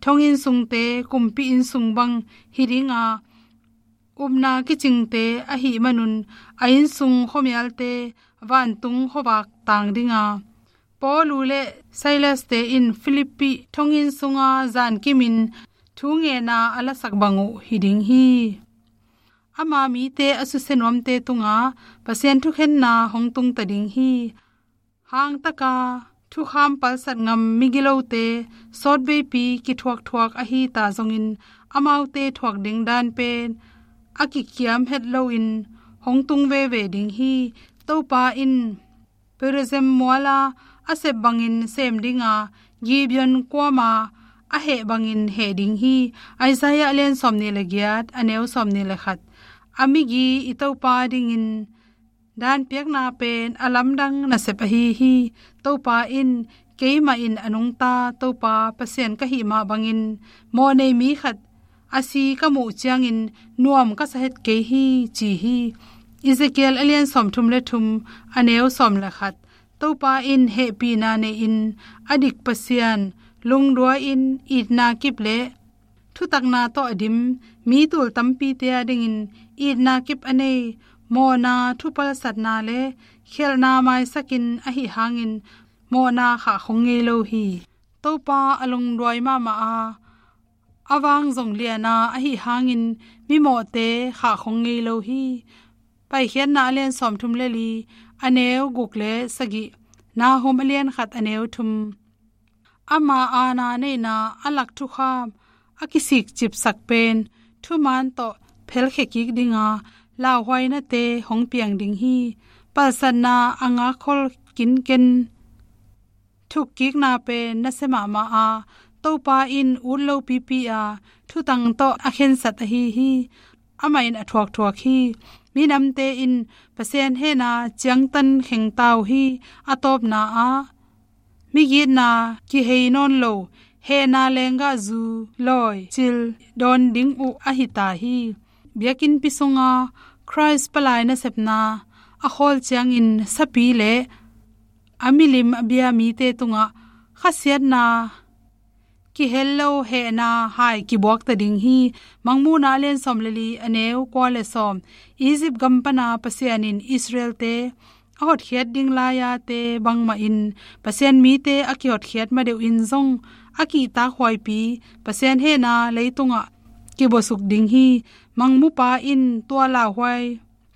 Thonginn sungte kumpi inn sung bang hi ding a, upna kicingte ahih manun a innsung khuamialte vantung khuavak tang ding a, Paulu le Silaste in Filippi thonginn sunga zankimin thu ngenna a lasak bang uh hi ding hi. Ama mite a susia nuamte tungah Pasian thukhenna hong tungta ding hi. Hangtaka thukham palsat ngam migilote sawtveipi kithuakthuak ahi ta zongin, amaute thuak ding dan pen a kikiam het loin hong tung veve ding hi. Topa in Perazim muala a sep bangin sem ding a, Gibeon kuama a heh bangin heh ding hi. Isaiah a lian sawmnih le giat, a neu sawmnih le khat. A migi i Topa dingin dan piakna pen a lamdang nasep ahi hi. Topa in, "Keimah in a nungta Topa Pasian ka hih mah bangin mawhnei mi khat a si ka muh ciangin nuam ka sa het kei hi," ci hi. Ezekiel a lian sawmthum le thum, a neu sawm le khat. Topa in hehpihna neiin a dik Pasian, lungduai-in itna kip le thutakna tawh a dim mi tul tampite a dingin itna kip a nei, mawhna thupalsatna le khialhna maisakin ahi hangin mawhna khahkhong ngei lo hi. Topa a lungduai mahmah a, a vang zong liana ahi hangin mimawhte khahkhong ngei lo hi. Paikhiatna a lian sawmthum le li, a neu guk le sagih, Nahum a lian khat, a neu thum. Ama aana neihna a lak thukham a kisikcipsak pen thuman tawh phelkhia kik dinga lauhuainate hong piang ding hi. Palsatna a ngakkhol kinken thukkikna pen nasia mahmah a, Topa in ut lo pipi a thutang tawh a khensat ahi hi. Amah in a thuakthuak hi. Minamte in Pasian hehna ciangtan khengta uh hi. A tawpna ah migitna kihei nawn lo, hehna lenggahzu lawi cil dawn ding uh ahi ta hi. Biakinnpi sunga Khrist palai nasepna a khawl ciangin sapi le a milim a bia mite tungah khasiatna kihel lo hehna hai kibuakta ding hi. Mangmuhna a lian sawm le li, a neu kua le sawm. Egypt gam pana Pasian in Israelte a hotkhiat ding lai-ate bangmahin Pasian mite a kihotkhiat madeuhin zong a kihtakhuaipi Pasian hehna leitungah kibuasuk ding hi. Mangmupa in tua lauhuai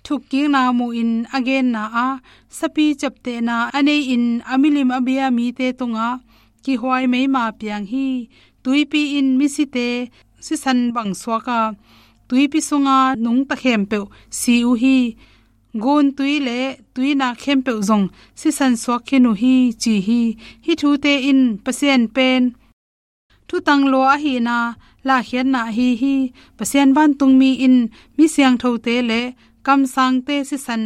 thukkikna muhin a genna ah sapi ciaptehna a neiin a milim a bia mite tungah kihuai meima piang hi. Tuipi in misite sisan bang suak a, tuipi sunga nungta khempeuh si uh hi. Guntui le tuinak khempeuh zong sisan suak khin uh hi, ci hi. Hih thute in Pasian pen thutang lua ahihna lahkhiatna ahi hi. Pasian vantungmi in mi siangthote le kamsangte sisan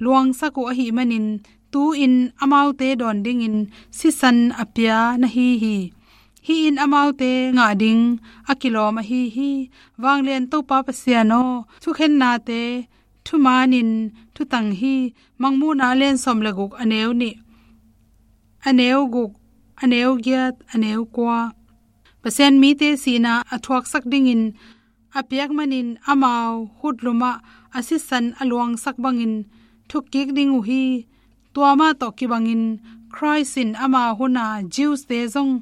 luangsak uh ahih manin, tu-in amaute dawn dingin sisan a pia na hi hi. Hih in amaute ngah ding a kilawm ahi hi. Vanglian Topa Pasian aw, thukhennate thumanin thutang hi. Mangmuhna a lian sawm le guk, a neu nih, a neu guk, a neu giat, a neu kua. Pasian mite sihna a thuaksak dingin a piak manin amau hutlumah a sisan a luangsak bangin thukkik ding uh hi. Tua mah tawh kibangin Khrist in ama huna Jews-te zong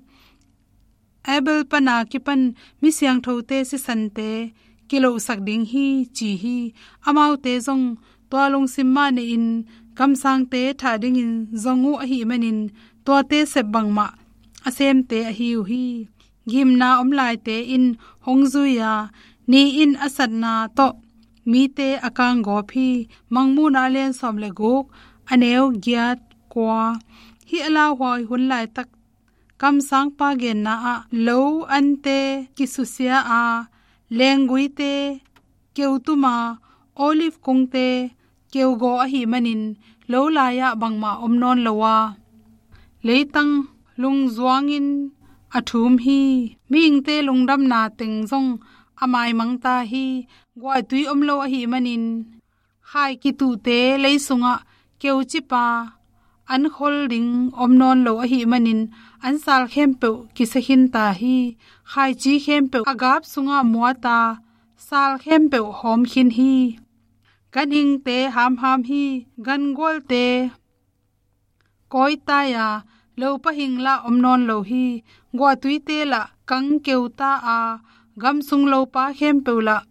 Abel pana kipan mi siangthote sisante kilohsak ding hi, ci hi. Amaute zong tua lungsim mah nei-in kamsangte thah dingin zong uh ahih manin tuate sep bangmah a semte ahi uh hi. Gimna om laite in hong zui a, ni in a satna tawh mite a kanggawp hi. Mangmuhna a lian sawm le guk, a neu giat, kua. Hih a lauhuai hun laitak kamsangpa genna ah lo ante kisusia a, lengguite keutuma, olive kungte keugaw ahih manin lo lai-ah bangmah om nawn lo a, leitang lungzuangin a thum hi. Mihingte lungdamna teng zong a maimangta hi. Guahtui om lo ahih manin khai kituhte lei sungah keucipa an khol ding om nawn lo ahih manin an sal khempeuh kisia khinta hi. Khaici khempeuh a gap sungah muata, sal khempeuh hawm khin hi. Ganhingte hamham hi. Gangualte kawitai a, lopa hing lah om nawn lo hi. Guahtuite lah kang keuta a, gamsung lopa khempeuh lah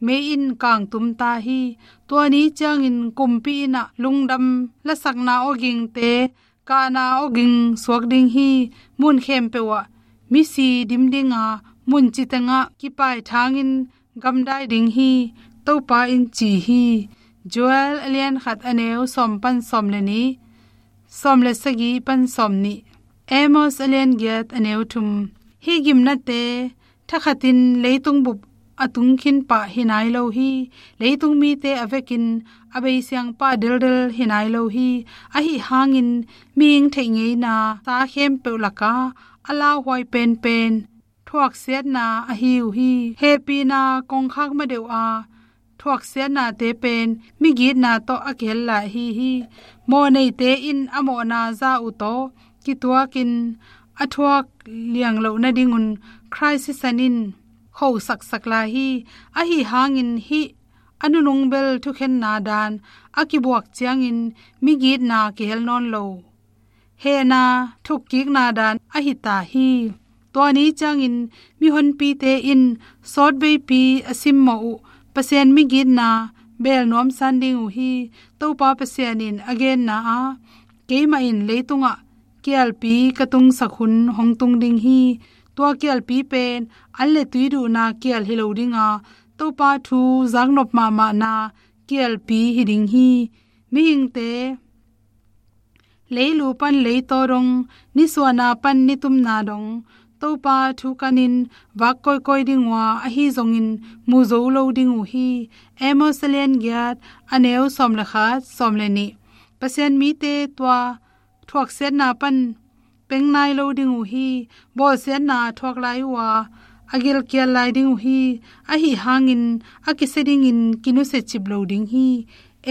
mei in kangtumta hi. Tua ni ciangin kumpi innah lungdam lasakna awgingte kahna awging suak ding hi. Mun khempeuh ah misi dim dinga, mun citengah kipaithangin gamdai ding hi, Topa in ci hi. Joel a lian khat, a neu sawm pan sawm le nih, sawm le sagih pan sawm nih. Amos a lian giat, a neu thum. Hih gimnate thakhatin leitung bup a tung khin pah hi nai lo hi. Leitung mite a vekin a beisiangpa deldel hi nai lo hi. Ahi hangin mihing theih ngeina sa khempeuh laka a lauhuai penpen thuaksiatna ahi uh hi. Hehpihna kongkhak madeuh a thuaksiatnate pen migitna tawh a kihel lai ahi hi. Mawhneite in a mawhna za uh tawh kituakin a thuak liang loh nadingun Khrist sisan in khosaksak lai hi. Ahi hangin hih a nunung bel thukhenna dan a kibuak ciangin migitna kihel nawn lo hehna thukkikna dan ahi ta hi. Tua ni ciangin mihonpite in sawtveipi a simmawh uh Pasian migitna bel nuamsan ding uh hi. Topa Pasian in a genna ah, keimah in leitungah kialpi ka tungsak hun hong tung ding hi. Tua kialpi pen an le tui duhna kial hi lo dinga, Topa thu zaknop mahmahna kialpi hi ding hi. Mihingte leilu pan leitaw dong, nisuahna pan nitumna dong, Topa thu kanin vak kawikawi ding uh a, ahi zongin mu zo lo ding uh hi. Amos a lian giat, a neu sawm le khat, sawm le nih. Pasian mite tua thuaksiatna pan peng nai lo ding uh hi. Bawlsiatna thuak lai uh a, a gilkial lai ding uh hi. Ahi hangin a kisia dingin kinusia cip lo ding hi.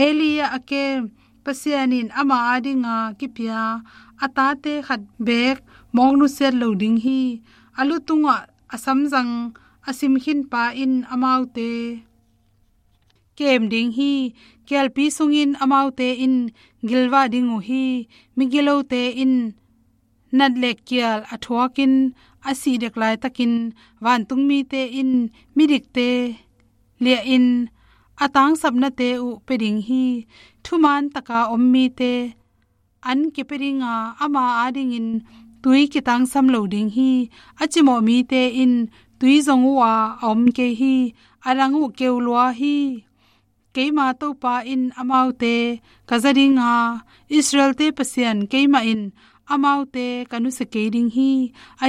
Eli a kem Pasian in ama adinga kipia a tate khat beek mawk nusiat lo ding hi. A lu tungah a samzang a sim khinpa in amaute kem ding hi. Kialpi sungin amaute in gilvah ding uh hi. Migilote in nat le kial a thuakin a sih dek laitakin, vantungmite in midikte liahin a tangsapnate uh pia ding hi. Thuman taka om mite an kipia dinga, ama adingin tui kitangsam lo ding hi. A cimawh mite in tui zong uh a, a om kei hi. A dang uh keu lua hi. Keima Topa in amaute ka za dinga, Israelte Pasian keimah in amaute ka nusia kei ding hi.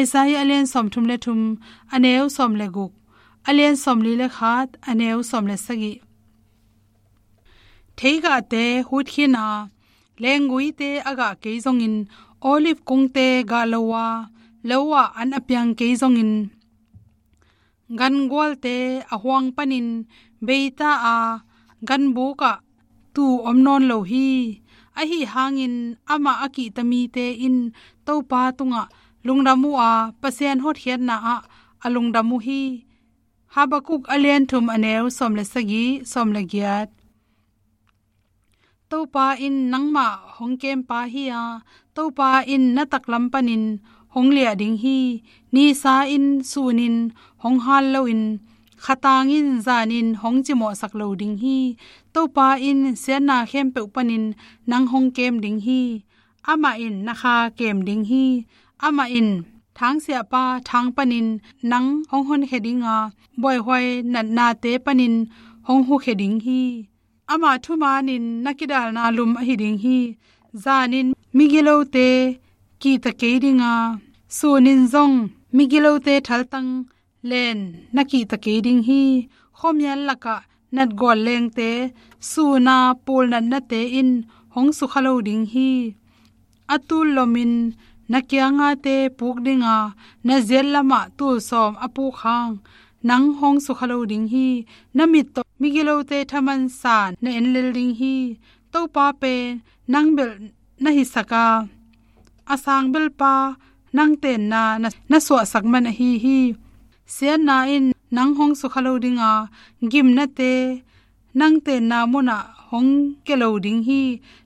Isaiah a lian sawmthum le thum, a neu sawm le guk, a lian sawmli le khat, a neu sawm le sagih. Theigahte hut khin a, lengguite a gah kei zongin, olive kungte gah lo a, lo ah an a piang kei zongin, gangualte a huang panin beita a, ganbuk ah tuu om nawn lo hi. Ahi hangin amah a kihta mite in Topa tungah lungdam uh a, Pasian hotkhiatna ah a lungdam uh hi. Habakuk a lian thum, a neu sawm le sagih, sawm le giat. Topa in nangmah hong kempa hi a, Topa in na taklam panin hong liah ding hi. Nisa in, sun in hong hal loin, khatang in, zan in hong cimawhsak lo ding hi. Topa in siatna khempeuh panin nang hong kem ding hi. Amah in na kha kem ding hi. Amah in thangsiahpa thang panin nang hong honkhia ding a, buaihuai natnate panin hong hukhia ding hi. Amah thumanin na kidalna lum ahi ding hi. Zan in migilote kihta kei ding a, sun in zong migilote thaltang len na kihta kei ding hi. Khuamial lakah natgual lengte, sun a pulnatnate in hong sukha lo ding hi. A tul lomin na kianga te puk ding a, na ziat lamah tul sawm a puk hang nang hong sukha lo ding hi. Na mit tawh migilote thaman san na en lel ding hi. Topa pen nang belh na hisak a, a sangbelhpa nang tenna na, na suahsak man ahi hi. Siatna in nang hong sukha lo ding a, gimnate nang tenna munah hong kia lo ding hi.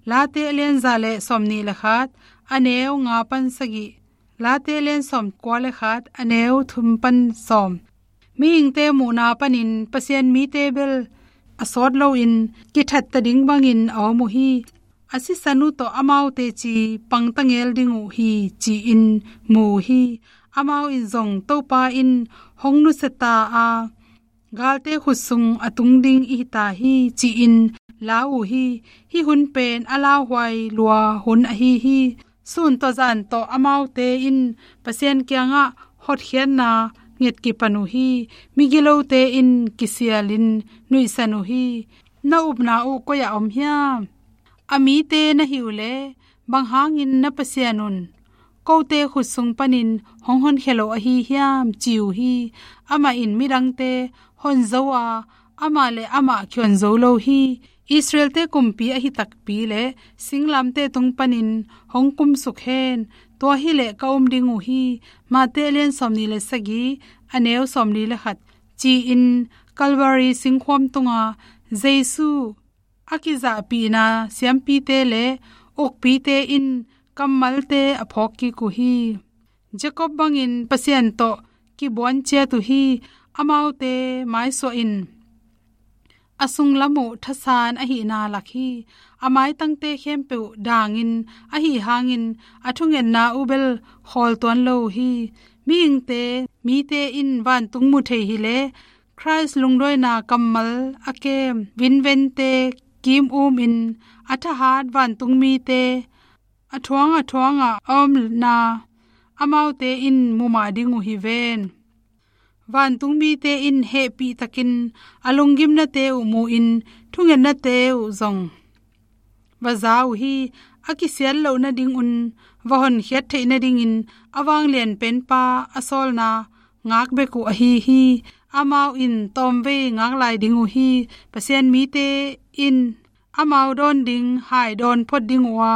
Late a lian za le sawmnih le khat, a neu nga pan sagih. Late a lian sawmkua le khat, a neu thum pan sawm. Mihingte muhna panin Pasian mite bel a sawt loin kithatta ding bangin a om uh hi. A sisan uh tawh amaute ci pangta ngel ding uh hi, ci-in mu uh hi. Amau in zong Topa in hong nusia ta a, galte khut sung a tung ding i hi ta hi, ci-in lau uh hi. Hih hun pen a lauhuai lua hun ahi hi. Sun tawh zan tawh amaute in Pasian kiangah hotkhiatna nget kipan uh hi. Migilote in kisialin nuihsan uh hi. Na upna uh koi-ah om hiam? A mite na hi uh leh, bang hangin na Pasian un kote khut sung panin hong honkhia lo ahi hiam, ci uh hi. Amah in midangte honzo a, amah le amah kihonzo lo hi. Israelte kumpi ahi takpi le singlamteh tung panin hong kumsuk hen. Tua hileh ka um ding uh hi. Mate a lian sawmnih le sagih, a neu sawmli le khat, ci-in Calvary singkhuam tunga Jesu a kizahpihna siampite le ukpite in kammalte a phawk kik uh hi. Jacob bangin Pasian tawh kibuan ciat uh hi. Amaute maisuah in a sunglam uh thasan ahihna lak hi. A maitangte khempeuh dangin ahi hangin a thungetna uh bel khawl tuan lo uh hi. Mihingte, mite in vantung mu thei hileh, Khrist lungduaina kammal a kem vinvente kim umin a thahat vantungmite a thuang a thuangah a omna amaute in mu mah ding uh hi ven. Vantungmite in hehpihtakin a lunggimnate uh mu-in thungetnate uh zong va za uh hi. A kisiat loh nadingun va honkhiat theih nadingin a vanglian penpa a sawlna ngak bek uh ahi hi. Amau in tawmvei ngak lai ding uh hi. Pasian mite in amau dawn ding hai dawn phot ding uh a,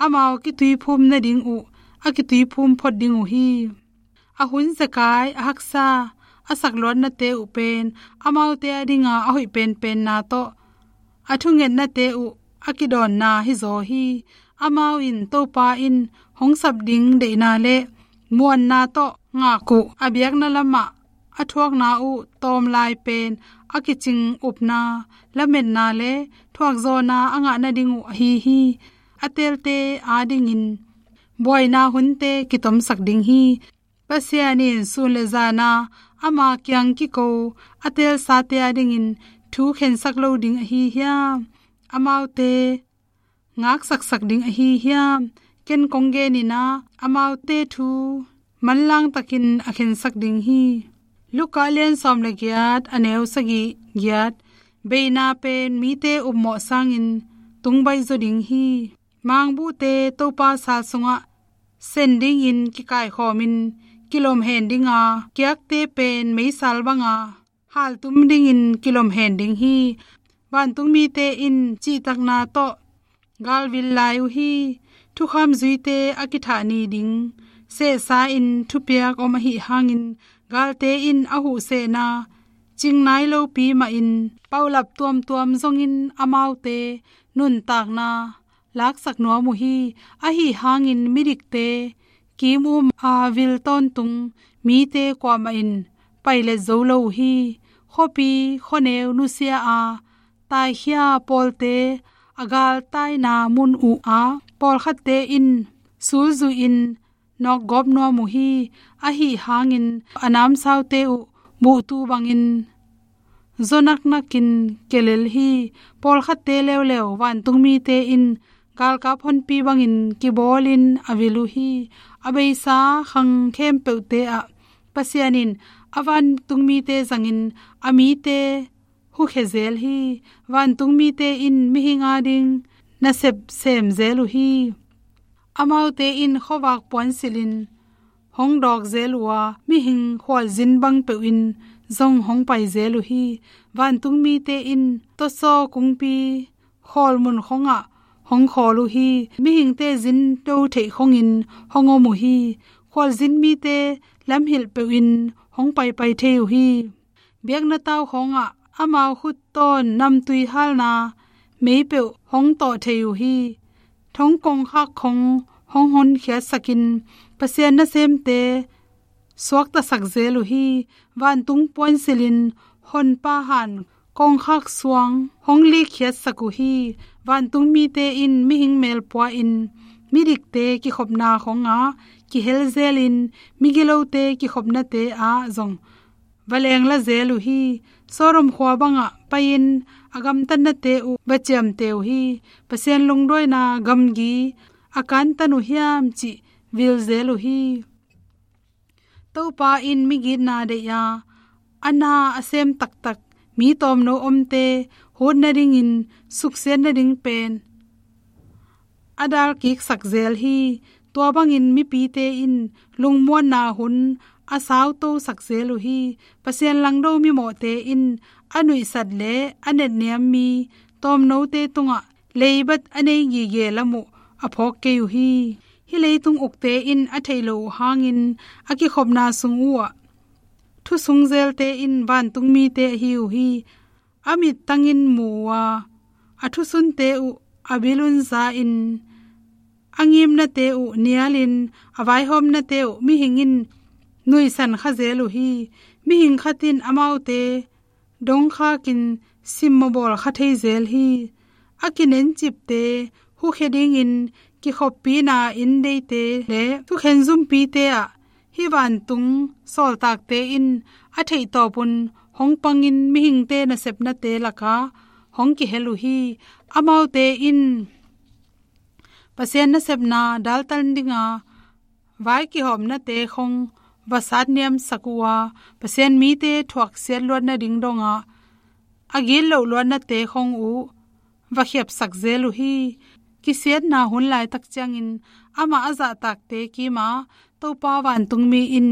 amau kituiphum nading uh a kituiphum phot ding uh hi. A hun zekai, a haksa, a sakluatnate uh pen amaute a dinga a hoih penpenna tawh a thungetnate uh a kidawnna hizaw hi. Amau in Topa in hong sap ding deihna le muanna tawh ngak uh a biakna lamah a thuakna uh tawm lai pen a kicing upna, lametna le thuakzawhna a ngah nading uh ahi hi. A teelte adingin buaina hunte kitomsak ding hi. Pasian in sun le zana ama kiang kiko a teelsate adingin thu khensak lo ding ahi hiam? Amaute ngaksaksak ding ahi hiam? Ken kong genin ah, amaute thu manlang takin a khensak ding hi. Luka lian sawm le giat, a neu sagih, giat. Beina pen mite upmawh sangin tungbaih zaw ding hi. Mangbuhte Topa sal sungah sen dingin kikaikhawmin kilom hen ding a, kiakte pen meisal banga haltum dingin kilom hen ding hi. Vantungmite in cihtakna tawh galvil lai uh hi. Thukham zuite a kithah ni ding sehsa-in thupiak om ahih hangin, galte in a huhsehna cing nai lopi mahin, paulap tuamtuam zongin amaute nuntakna laksak nuam uh hi. Ahih hangin midikte kim um a vil tawntung mite kuamah in pailet zo lo uh hi. Khuapi khuaneu nusia a taikhia pawlte a galtaina mun uh a, pawlkhatte in sulzuihin nawkgawp nuam uh hi. Ahih hangin a namsaute uh buhtu bangin zaw naknakin kia lel hi. Pawlkhatte leuleu vantung mite in galkap honpi bangin kibawlin a vil uh hi. A beisa khang khempeuhte ah Pasian in a vantung mite zangin a mite hukhia zel hi. Vantung mite in mihing ading nasep sem zel uh hi. Amaute in khuavak puansilhin hong dawk zel uh a, mihing khualzin bang peuh in zong hong pai zel uh hi. Vantung mite in tawsaw kungpi khawlmun khongah hong khawl uh hi. Mihingte zin do theih khongin hong om uh hi. Khualzin mite lamhilh peuhin hong paipai thei uh hi. Biakna tau khawngah amau khut tawn namtui halna mei peuh hong tawh thei uh hi. Thong kongkhak khong hong honkhiatsakin Pasian nasemte suaktasak zel uh hi. Vantung puansilhin honpa han kongkhak suang hong likkhiatsak uh hi. Vantung mite in mihing melpua-in midikte kikhopna khongah kihel zelin migilote kikhopnate ah zong va lengla zel uh hi. Sodom khua bangah pai-in a gamtatnate uh va ciamteh uh hi. Pasian lungduaina gamgi a kantan uh hiam cih vil zel uh hi. Topa in migitna deih a, a na a sem taktak mi tawmno omte hut nadingin suksiat nading pen a dalkiksak zel hi. Tua bangin mipite in lungmuanna hun a sautosak zel uh hi. Pasian langdo mimawhte in a nuihsat le a netniam mi tawmnote tungah leibat a nei gige lam uh a phawk kei uh hi. Hih leitung ukte in a theih loh uh hangin a kikhopna sung uhah thusung zelte in vantung mite ahi uh hi. A mittangin mu uh a, a thusunte uh a bilun za-in, a ngimnate uh nialin, a vaihawmnate uh mihing in nuihsan kha zel uh hi. Mihing khat in amaute dongkhakin simmawh bawl kha thei zel hi. A kinencipte hukhia dingin kikhoppihna inn deite le thukhen zumpite ah hih vantung sawltakte in a theihtawpun hong pangin mihingte nasepnate lakah hong kihel uh hi. Amaute in Pasian nasepna daltan dinga vai kihawmnate khong va satniamsak uh a, Pasian mite thuaksiat luat nading dongah a gitloh luatnate khong uh va khiapsak zel uh hi. Kisiatna hun laitak ciangin amah a zahtakte kimah Topa vantungmi in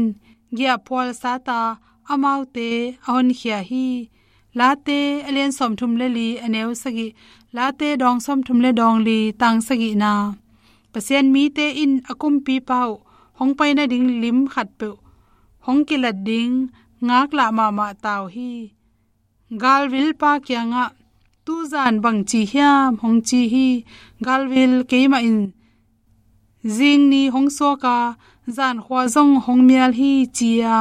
giahphual sata amaute a honkhia hi. Late a lian sawmthum le li a neu sagih, Late dawng sawmthum le dawng li tang sagihna. Pasian mite in a kumpipa uh hong pai nading lim khatpeuh hong kilat ding ngaklah mahmah ta uh hi. Galvilpa kiangah, "Tuzan bangci hiam?" hong ci hi. Galvil, "Keimah in zing ni hong suak a, zan khua zong hong mial hi," ci-a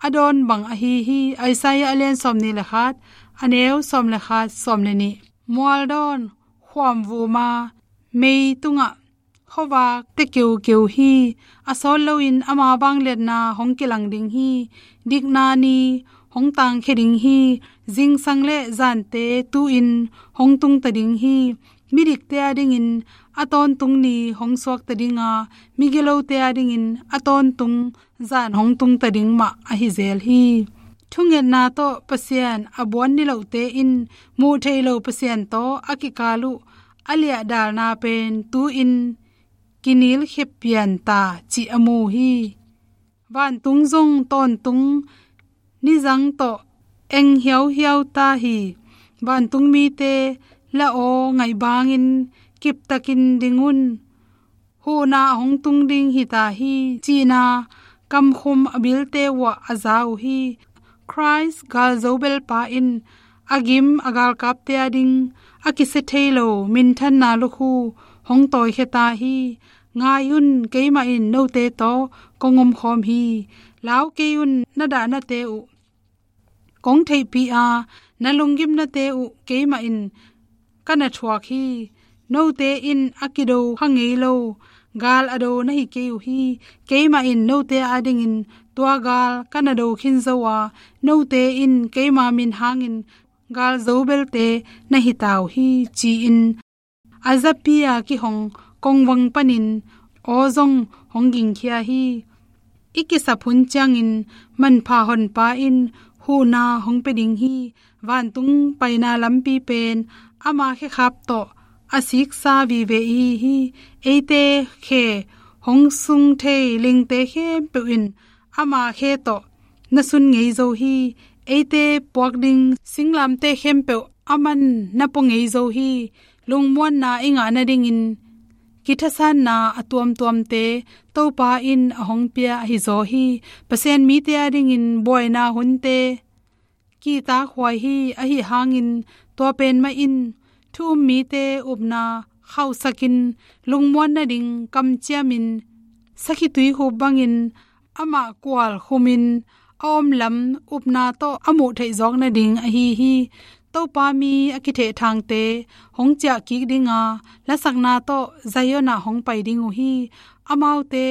a dawn bang ahi hi. Isaiah a lian sawmnih le khat, a neu sawm le khat, sawm le nih. Mualdawn khuam vuma mei tungah khuavak te keukeu hi. A sawt loin ama vangliatna hong kilang ding hi. Dikna ni hong tangkhia ding hi. Zingsang le zante tu-in hong tungta ding hi. Midikte adingin a tawntung ni hong suakta ding a, migilote adingin a tawntung zan hong tungta ding mah ahi zel hi. Thungetna tawh Pasian a buan nilohte in muh theih loh Pasian tawh a kikal uh a liahdalna pen tu-in kinilkhia pian ta cih a mu hi. Vantung zong tawntung nizang tawh eng hiauhiau ta hi. Vantung mite, la aw ngaih bangin kiptakin ding un. huhna a hong tung ding hita hi, cihna kamkhum a bilte uhah a za uh hi. Khrist galzo belpa in a gim a galkapte ading a kisia thei lo minthanna lukhu hong tawikhia ta hi. Ngai un, keimah in note tawh kong omkhawm hi. Lau kei un, na dahnate uh kong theihpih a, na lunggimnate uh keimah in ka na thuak hi. Note in a kido kha ngei lo gal a do na hi kei uh hi. Keimah in note adingin tua gal ka na do khin zo a, note in keima min hangin galzo belte na hita uh hi, ci-in a zapi-a kihong kongvang panin aw zong hong gingkhia hi. I kisap hun ciangin manpha honpa in huhna hong pia ding hi. Vantung paina lampi pen ama khekhap tawh a siksa vive i hi hi. Eite khe hong sung thei lingte khempeuh in ama khe tawh na sun ngei zo hi. Eite puak ding singlamteh khempeuh aman na pua ngei zo hi. Lungmuanna i ngah nadingin kithasanna a tuamtuamte Topa in a hong pia ahi zaw hi. Pasian mite adingin buaina hunte kihtakhuai hi. Ahi hangin tua pen mah in thu um mite upna khauhsakin lungmuan nading kamciamin sakhi tuikhup bangin amah kual khumin a om lam upna tawh a muh theih zawk nading ahi hi. Topa mi a kithehthangte hong ciah kik ding a, lasakna tawh Zion ah hong pai ding uh hi. Amaute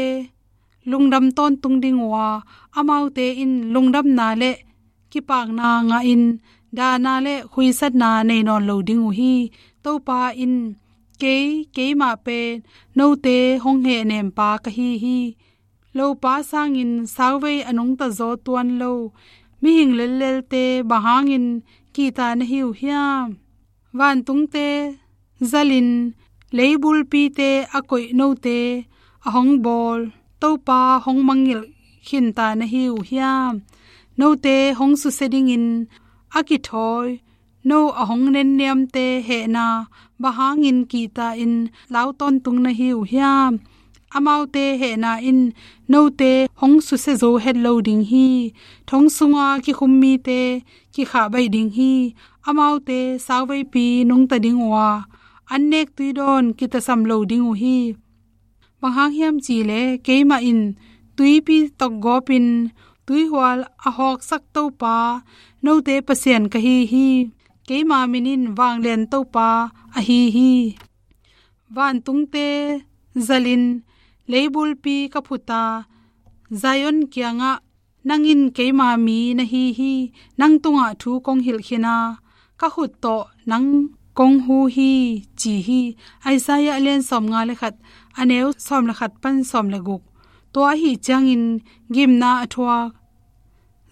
lungdam tawntung ding uh a, amaute in lungdamna le kipakna ngahin dahna le khuisatna nei nawn lo ding uh hi. Topa in kei, keimah pen note hong hehnempa ka hi hi. Lopa sangin sauvei a nungta zaw tuan lo mihing lellelte bang hangin kihta na hi uh hiam? Vantungte zalin leibulpite a koih note a hong bawl Topa hong mangngilh khinta na hi uh hiam? Note hong susia dingin a kithawi no a hong nenniamte hehna bang hangin kihta in lau tawntung na hi uh hiam? Amaute hehna in note hong susia zo het lo ding hi. Thong sunga kikhum mite kikhah baih ding hi. Amaute sauveipi nungta ding uh a, an nek tuidawn kitasam lo ding uh hi. Bang hang hiam cih leh keimah in tuipi tokgawpin tuihual a hawksak Topa note Pasian ka hi hi. Keima min in Vanglian Topa ahi hi. Vantungte zalin leibulpi ka phut a, Zion kiangah, "Nang in keima mi na hi hi, nang tungah thu kong hilh khin a, ka khut tawh nang kong hu hi," ci hi. Isaiah a lian sawmnga le khat, a neu sawm le khat pan sawm le guk. Tua ahi ciangin gimna a thuak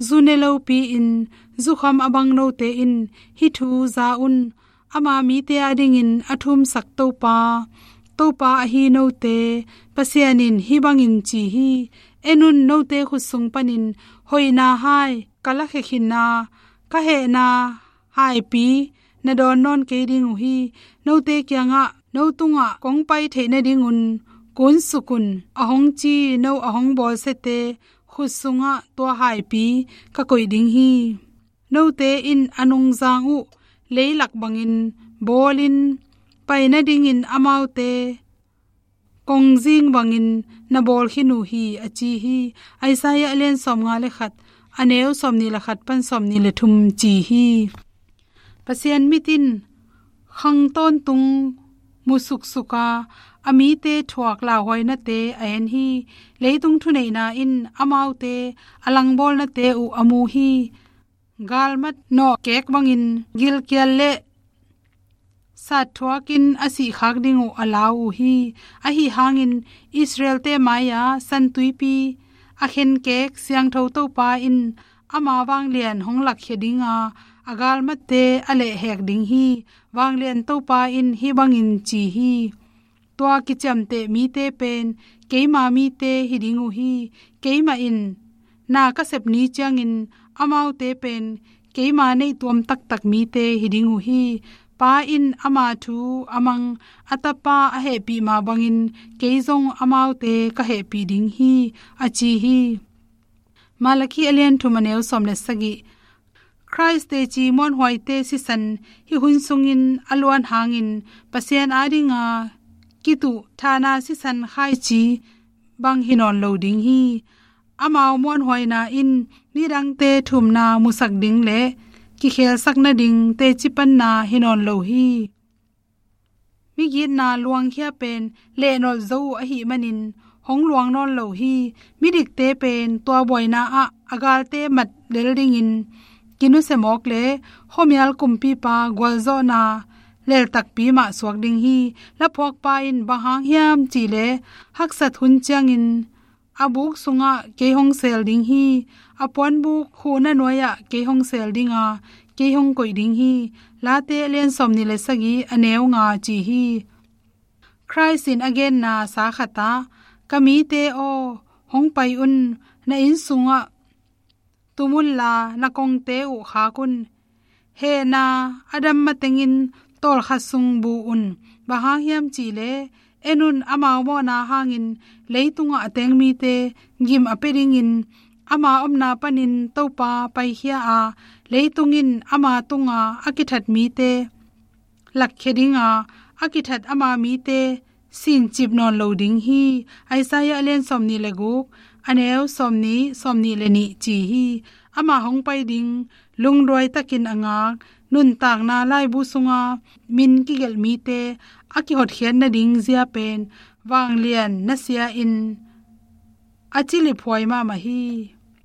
zu ne lopi-in zukham a bang note in hih thu za un. Ama mite adingin a thumsak Topa, Topa ahi note, Pasian in hih bangin ci hi. En un, note khut sung panin hoihna hai ka lakhia khin a, ka hehna haipi na dawn nawn kei ding uh hi. Note kiangah, "No tungah kong pai theih nadingun kunsuk un," a hong ci no a hong bawlsiate khut sungah tua haipi ka koih ding hi. Note in a nungzang uh leilak bangin bawlin pai nadingin amaute kongzing bangin na bawl khin uh hi, a ci hi. Isaiah a lian sawmnga le khat, a neu sawmnih le khat pan sawmnih le thum ci hi. Pasian mit in khang tawntung mu suksuk a, a mite thuak lauhuainate a en hi. Leitung thuneihna in amaute a langbawlnate uh a mu hi. Galmat nawhkek bangin gilkial le sat thuakin a sihkhak ding uh a lau uh hi. Ahi hangin Israelte mai-a santuipi a khenkek siangtho Topa in ama vanglian hong lakkhia ding a, a galmatte a lehhek ding hi. Vanglian Topa in hih bangin ci hi. Tua kiciamteh mite pen keima mite hi ding uh hi. Keimah in na ka sep ni ciangin amaute pen keima neihtuam taktak mite hi ding uh hi. Pa in ama thu a mang a Tapa a hehpih mah bangin kei zong amaute ka hehpih ding hi, a ci hi. Malakhi a lian thum a neu sawm le sagih. Khrih teci muanhuaite sisan hih hun sungin a luan hangin Pasian adinga kituh thahna sisan khaici bang hi nawn lo ding hi. Amau muanhuaina in midangte thumna musak ding le kikhelsak nading teci panna hi nawn lo hi. Migitna luangkhia pen lehnolh zo uh ahih manin hong luang nawn lo hi. Midikte pen tua buaina ah a galte mat lel dingin kinusia mawk le khuamial kumpipa gualzawhna lel takpi mah suak ding hi. Laphuakpa in bang hang hiam cih le haksat hun ciangin a buk sungah kei hong seel ding hi. A puanbuk huhna nuai-ah kei hong seel ding a, kei hong koih ding hi. Late a lian sawmnih le sagih a neu nga ci hi. Khrih in a genna sa khatah, "Ka mite aw, hong pai un, na inn sungah tum unla na kongte uh khak un. Hehna a dam matengin tawlkhat sung bu un. Bang hang hiam cih le, en un, amau mawhna hangin leitungah a teng mite gim a pia dingin ama omna panin Topa paikhia a, leitung in ama tunga a kithat mite lakkhia ding a, a kithat ama mite sincip nawn lo ding hi." Isaiah a lian sawmnih le guk, a neu sawmnih, sawmnih le nih ci hi. Ama hong pai ding lungduai takin a ngak nuntakna laibu sunga min kigelh mite a kihotkhiat nading zia pen vanglian nasia in a ciliphuai mahmah hi.